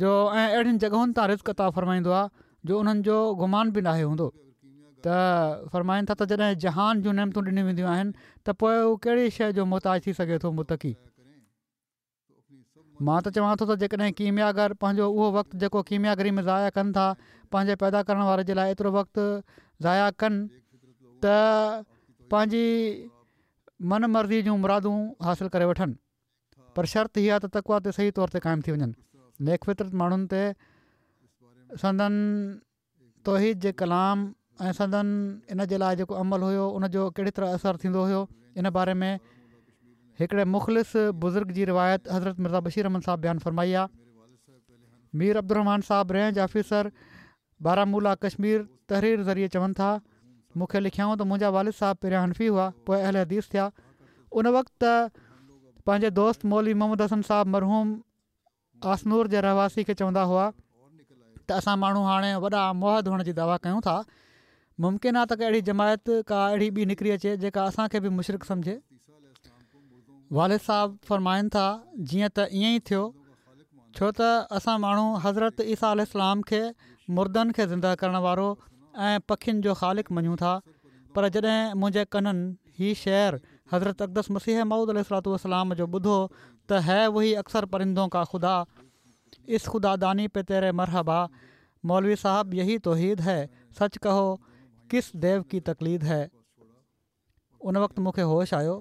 جو ۽ اهڙين جڳهن تان رزق عطا فرمائيندو آهي جو انهن جو گمان به ناهي هوندو ته فرمائن ٿا ته جڏهن جهان جون نعمتون ڏنيون وينديون آهن ته پوء هو ڪهڙي شيء جو محتاج ٿي سگهي ٿو متقي مان ته چوان ٿو ته جيڪڏهن ڪيمياگر پنهنجو اهو وقت جيڪو ڪيمياگري ۾ ضايع ڪن ٿا پنهنجي پيدا ڪرڻ واري جي لاء ايترو وقت ضايع ڪن ته پنهنجي من مرضي جون مرادون حاصل ڪري وٺن پر شرط هي آهي ته تقويٰ تي صحيح طور تي قائم ٿي وڃن. نيڪ فطرت ماڻهن تي سندن توحيد جي ڪلام ۽ سندن ان جي لاء جيڪو عمل هيو ان جو ڪهڙي طرح اثر ٿيندو هيو ان باري ۾ هڪڙي مخلص بزرگ جي روايت حضرت مرزا بشير احمد صاحب بيان فرمائي آهي. مير عبدالرحمان صاحب رينج آفيسر بارامولا ڪشمير تحرير ذريعي چون ٿا، مون کي لکيائون ته منهنجا والد صاحب پهريان حنفي هئا پوء اهل حديث ٿيا. ان وقت ته پنهنجي دوست مولوي محمد حسن صاحب مرحوم آسنور جي رهواسي کي چوندا هئا ته اسان ماڻهو هاڻي وڏا موحد هئڻ جي دعويٰ ڪيون ٿا. ممڪن آهي ته ڪا اهڙي جماعت ڪا اهڙي ٻي نڪري اچي جيڪا اسان کي به مشرڪ سمجهي. والد صاحب فرمائن ٿا جيئن ته ائين ئي ٿيو ڇو ته اسان ماڻهو حضرت عيسيٰ عليه السلام کي مردن کي زنده ڪرڻ وارو ۽ پکين جو خالق مڃون ٿا پر جڏهن منهنجي ڪنن هي شعر حضرت اقدس مسيح موعود عليه الصلوة والسلام جو ٻڌو ته هي وهي اڪثر پرندون ڪا خدا اس خدا داني پي تيري مرحبا مولوي صاحب يهي توحيد هي سچ ڪهو ڪس ديو ڪي تقليد هي ان وقت مون کي هوش آيو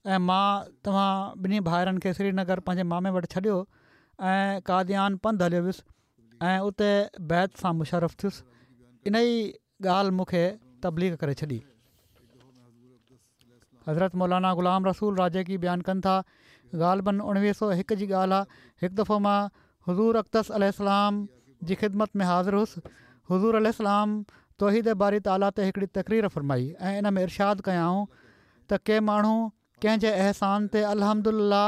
۽ مان توهان ٻنهي ڀائرن کي سرينگر پنهنجي مامي وٽ ڇڏيو ۽ قاديان پنڌ هليو ويس ۽ اتي بيعت سان مشرف ٿيس. ان ئي ڳالهه مون کي تبليغ ڪري ڇڏي. حضرت مولانا غلام رسول راجڪي بيان ڪن ٿا، غالباً اڻويهه سؤ هڪ جي ڳالهه آ، هڪ دفعو مان حضور اقدس عليه السلام جي خدمت ۾ حاضر هوس. حضور عليه السلام توحيد باري تعاليٰ تي هڪڙي تقرير فرمائي ۽ ان ۾ ارشاد ڪيائون ته ڪي ماڻهو ڪنهن جي احسان تي الحمدلله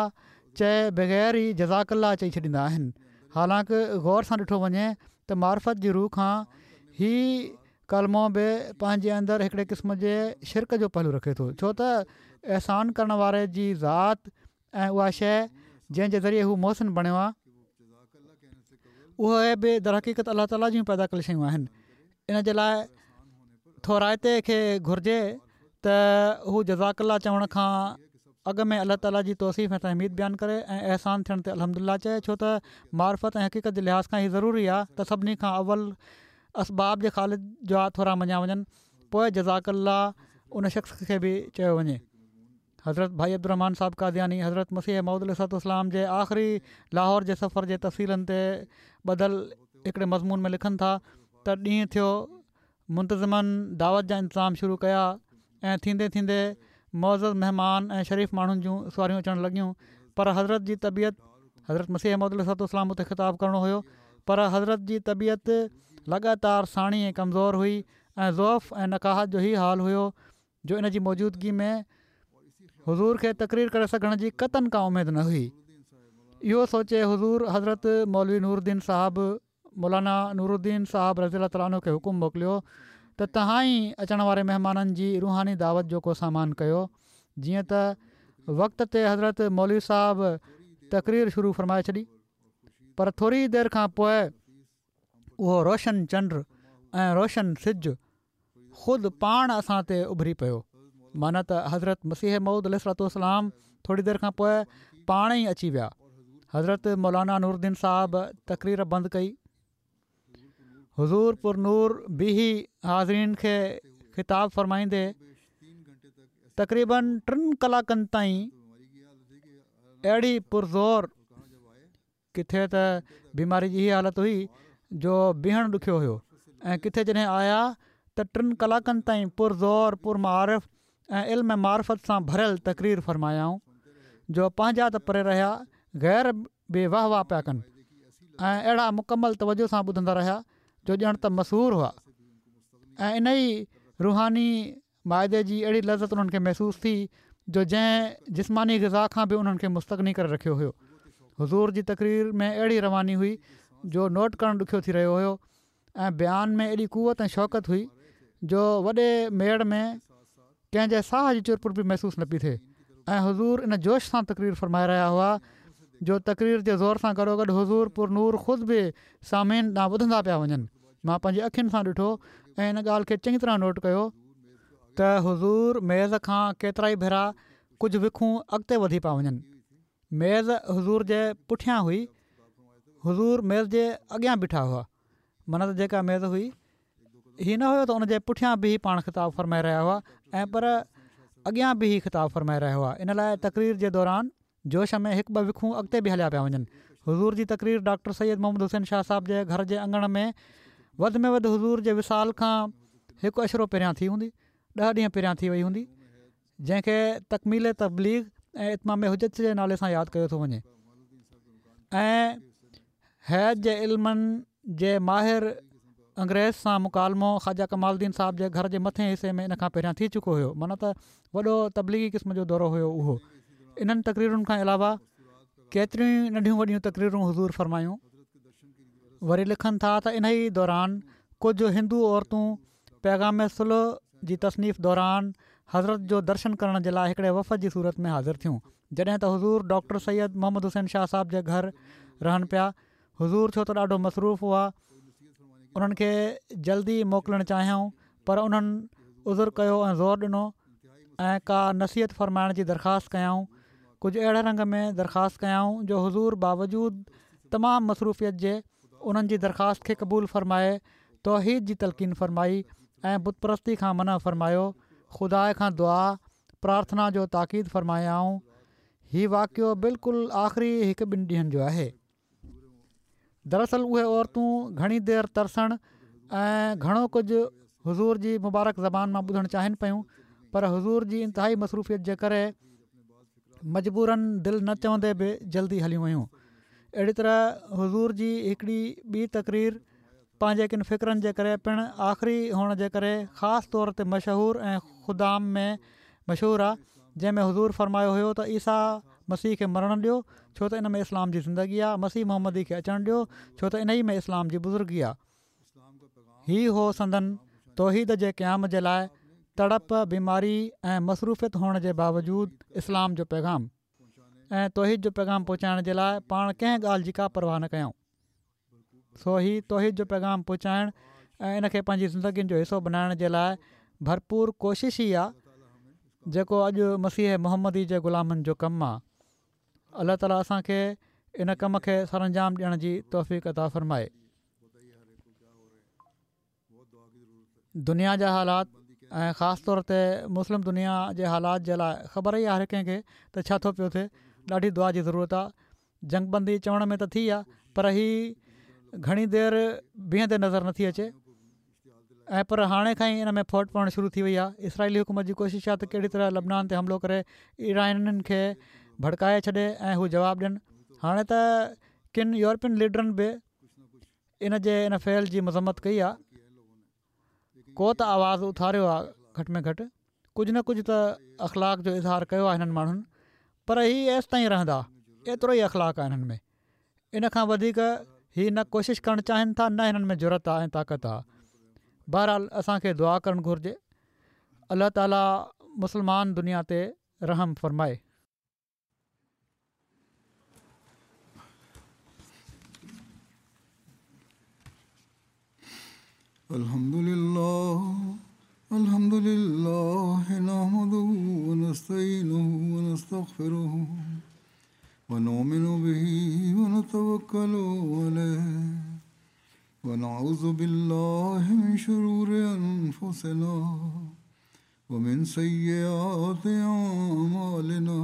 چئي بغير ئي جزاڪ الله چئي ڇڏيندا آهن. حالانڪ غور سان ڏٺو وڃي ته معرفت جي رو کان هي ڪلمو به پنهنجي اندر هڪڙي قسم جي شرڪ جو پهلو رکي ٿو، ڇو ته احسان ڪرڻ واري جي ذات ۽ اها شيء جنهن جي ذريعي هو محسن بڻيو آهي، اهي به درحقيقت الله تعاليٰ جون پيدا ڪيل شيون آهن. ان جي لاء ٿورائتي کي گهرجي ته هو جزاڪ الله چوڻ کان اڳ ۾ الله تعاليٰ جي توصيف ۽ تحميد بيان ڪري ۽ احسان ٿيڻ تي الحمدلله چئي، ڇو ته معرفت ۽ حقيقت جي لحاظ کان هي ضروري آهي ته سڀني کان اول اسباب جي خالق جا ٿورا مڃيا وڃن، پوء جزاڪ الله ان شخص کي به چيو وڃي. حضرت ڀائي عبدالرحمان صاحب قادياني حضرت مسيح موعود عليه الصلوة والسلام جي آخري لاهور جي سفر جي تفصيلن تي ٻڌل هڪڙي مضمون ۾ لکن ٿا ته ڏينهن ٿيو، منتظمن دعوت جا انتظام شروع ڪيا ۽ ٿيندي ٿيندي معزز مهمان ۽ شريف ماڻهن جون سواريون اچڻ لڳيون، پر حضرت جي طبيعت حضرت مسيح موعود عليه الصلوة والسلام اتي خطاب ڪرڻو هيو، پر حضرت جي طبيعت لڳاتار ساڻي ۽ ڪمزور هئي ۽ ضعف ۽ نقاهت جو هي حال هيو جو ان جي موجودگي ۾ حضور کي تقرير ڪري سگهڻ جي قطعاً ڪا اميد نه هئي. اهو سوچي حضور حضرت مولوي نور الدين صاحب مولانا نور الدين صاحب رضي الله تعالٰي عنه کي حڪم موڪليو ته توهان ئي اچڻ واري مهمانن جي روحاني دعوت جو ڪو سامان ڪيو. جيئن ته وقت تي حضرت مولوي صاحب تقرير شروع فرمائي ڇڏي، پر ٿوري دير کان پوء اهو روشن چنڊ ۽ روشن سج خود پاڻ اسان تي اڀري پيو. معنيٰ ته حضرت مسيح موعود عليه الصلوة والسلام ٿوري دير کان پوء پاڻ ئي اچي ويا. حضرت مولانا نور الدين صاحب تقرير بند ڪئي. حضور پر نور بيهي حاضرين کي خطاب فرمائيندي تقريباً ٽن ڪلاڪن تائين اهڙي پرزور ڪٿي ته بيماري جي هيء حالت هئي جو بيهڻ ڏکيو هيو ۽ ڪٿي جڏهن آيا ته ٽن ڪلاڪن تائين پرزور پرمعارف ۽ علم معرفت سان ڀريل تقرير فرمايائون جو پنهنجا ته پري رهيا، غير به واهه واهه پيا ڪن ۽ اهڙا مڪمل توجه سان ٻڌندا رهيا جو ڄڻ ته مسحور هئا ۽ انهي روحاني مائدي جي اهڙي لذت انهن کي محسوس ٿي جو جنهن جسماني غذا کان به انهن کي مستغني ڪري رکيو هيو. حضور جي تقرير ۾ اهڙي رواني هئي جو نوٽ ڪرڻ ڏکيو ٿي رهيو هيو ۽ بيان ۾ ايڏي قوت ۽ شوڪت هئي جو وڏي ميڙ ۾ ڪنهن جي ساهه جي چرپر به محسوس نه پئي ٿئي ۽ حضور ان جوش سان تقرير فرمائي رهيا هئا جو تقرير جي زور سان گڏوگڏ حضور پر نور خود به سامعين ڏانهن وڌندا پيا وڃن. مان پنهنجي اکين سان ڏٺو ۽ ان ڳالهه کي چڱي طرح نوٽ ڪيو ته حضور ميز کان ڪيترائي ڀيرا ڪجهه وکون اڳتي وڌي پيا وڃن. ميز حضور جي پٺيان هئي، حضور ميز جي اڳيان بيٺا هئا، معنيٰ ته جيڪا ميز هئي، هي نه هيو ته ان جي پٺيان بيهي پاڻ خطاب فرمائي رهيا هئا ۽ پر اڳيان بيهي خطاب فرمائي رهيا هئا، ان لاء تقرير جي دوران جوش ۾ هڪ ٻه وکون اڳتي به هليا پيا وڃن. حضور جي تقرير ڊاڪٽر سيد محمد حسين شاهه صاحب جي گهر جي اڱڻ ۾ وڌ ۾ وڌ حضور جي وصال کان هڪ عشرو پهريان ٿي هوندي، ڏهه ڏينهن پهريان ٿي وئي هوندي، جنهن کي تڪميل تبليغ ۽ اتمام حجت جي نالي سان ياد ڪيو ٿو وڃي ۽ هيئت جي علمن جي ماهر انگريز سان مڪالمو خواجه ڪمال الدين صاحب جي گهر جي مٿئين حصي ۾ ان کان پهريان ٿي چڪو هيو، معنيٰ ته وڏو تبليغي قسم جو دورو هيو اهو. انهن تقريرن کان علاوه ڪيتريون ئي ننڍيون وڏيون تقريرون حضور فرمايون. وري لکن ٿا ته انهي دوران ڪجهه هندو عورتون پيغام صلح جي تصنيف دوران حضرت جو درشن ڪرڻ جي لاء هڪڙي وفد جي صورت ۾ حاضر ٿيون جڏهن ته حضور ڊاڪٽر سيد محمد حسين شاهه صاحب جي گهر رهن پيا حضور ڇو ته ڏاڍو مصروف هئا انهن کي جلدي موڪلڻ چاهيائون پر انهن عذر ڪيو ۽ زور ڏنو ۽ ڪا نصيحت فرمائڻ جي درخواست ڪيائون ڪجهه اهڙي رنگ ۾ درخواست ڪيائون جو حضور باوجود تمام مصروفيت جي انهن جي درخواست کي قبول فرمائي توحيد جي تلقين فرمائي ۽ بت پرستي کان منع فرمايو خدا کان دعا پرارٿنا جو تاڪيد فرمايائون. هي واقعو بلڪل آخري هڪ ٻن ڏينهن جو آهي. دراصل اهي عورتون گهڻي دير ترسڻ ۽ گهڻو ڪجهه حضور جي مبارڪ زبان مان ٻڌڻ چاهين پيون، پر حضور جي انتهائي مصروفيت جي ڪري مجبوراً دل نه چوندي به جلدي هليون ويون. اهڙي طرح حضور جي هڪڙي ٻي تقرير پنهنجي ڪن فقرن جي ڪري پڻ آخري هئڻ جي ڪري خاص طور تي مشهور ۽ خدام ۾ مشهور آهي، جنهن ۾ حضور فرمايو هيو ته عيسيٰ مسيح کي مرڻ ڏيو ڇو ته ان ۾ اسلام جي زندگي آهي، مسيح محمدي کي اچڻ ڏيو ڇو ته انهي ۾ اسلام جي بزرگي آهي. هي هو سندن توحيد جي قيام جي لاء تڙپ، بيماري ۽ مصروفيت هئڻ جي باوجود اسلام جو پيغام ۽ توحيد جو پيغام پهچائڻ جي لاء پاڻ ڪنهن ڳالهه جي ڪا پرواهه نه ڪيائون. سو هي توحيد جو پيغام پهچائڻ ۽ ان کي پنهنجي زندگين جو حصو بنائڻ جي لاء ڀرپور ڪوشش ئي آهي، جيڪو اڄ مسيح محمدي جي غلامن جو ڪم آهي. الله تعاليٰ اسان کي ان ڪم کي سرانجام ڏيڻ جي توفيق عطا فرمائي. دنيا جا حالات ۽ خاص طور تي مسلم دنيا جي حالات جي لاء خبر ئي آهي هر ڪنهن کي ته ڇا ٿو پيو ٿئي. ڏاڍي دعا جي ضرورت آهي. جنگ بندي چوڻ ۾ ته ٿي آهي، پر هي گهڻي دير بيهندي نظر نٿي اچي ۽ پر هاڻي کان ئي ان ۾ ڦوٽ پوڻ شروع ٿي وئي آهي. اسرائيلي حڪومت جي ڪوشش آهي ته ڪهڙي طرح لبنان تي حملو ڪري ايرانين کي ڀڙڪائي ڇڏي ۽ هو جواب ڏين. هاڻي ته ڪن يورپين ليڊرن به ان جي ان فعل جي مذمت ڪئي آهي. ڪو ته آواز اٿاريو آهي، گهٽ ۾ گهٽ ڪجهه نه ڪجهه ته اخلاق جو اظهار ڪيو آهي هنن ماڻهن، پر هي ايستائين رهندا، ايترو ئي اخلاق آهي هنن ۾. ان کان وڌيڪ هي نه ڪوشش ڪرڻ چاهين ٿا نه هنن ۾ جرئت آهي ۽ طاقت آهي. بهرحال اسان کي دعا ڪرڻ گهرجي. الله تعاليٰ مسلمان دنيا تي رحم فرمائي. الحمد لله الحمد لله نحمده ونستعينه ونستغفره ونؤمن به ونتوكل عليه ونعوذ بالله من شرور أنفسنا ومن سيئات أعمالنا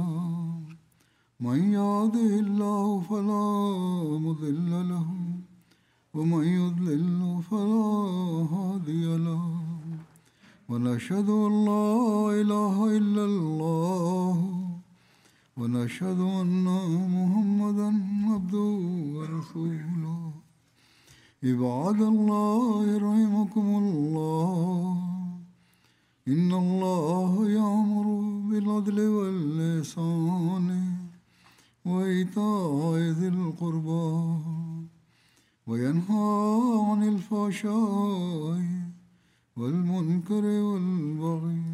من يهده الله فلا مضل له ومن يضلل فلا هادي له ونشهد أن لا إله إلا الله ونشهد أن محمدا عبده ورسوله. عباد الله رحمكم الله، إن الله يأمر بالعدل والإحسان وإيتاء ذي القربى وينهى عن الفحشاء والمنكر والبغي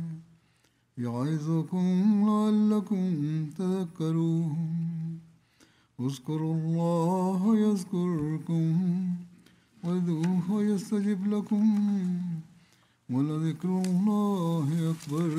يعظكم لعلكم تذكرون. اذكروا الله يذكركم وادعوه يستجب لكم ولذكر الله أكبر.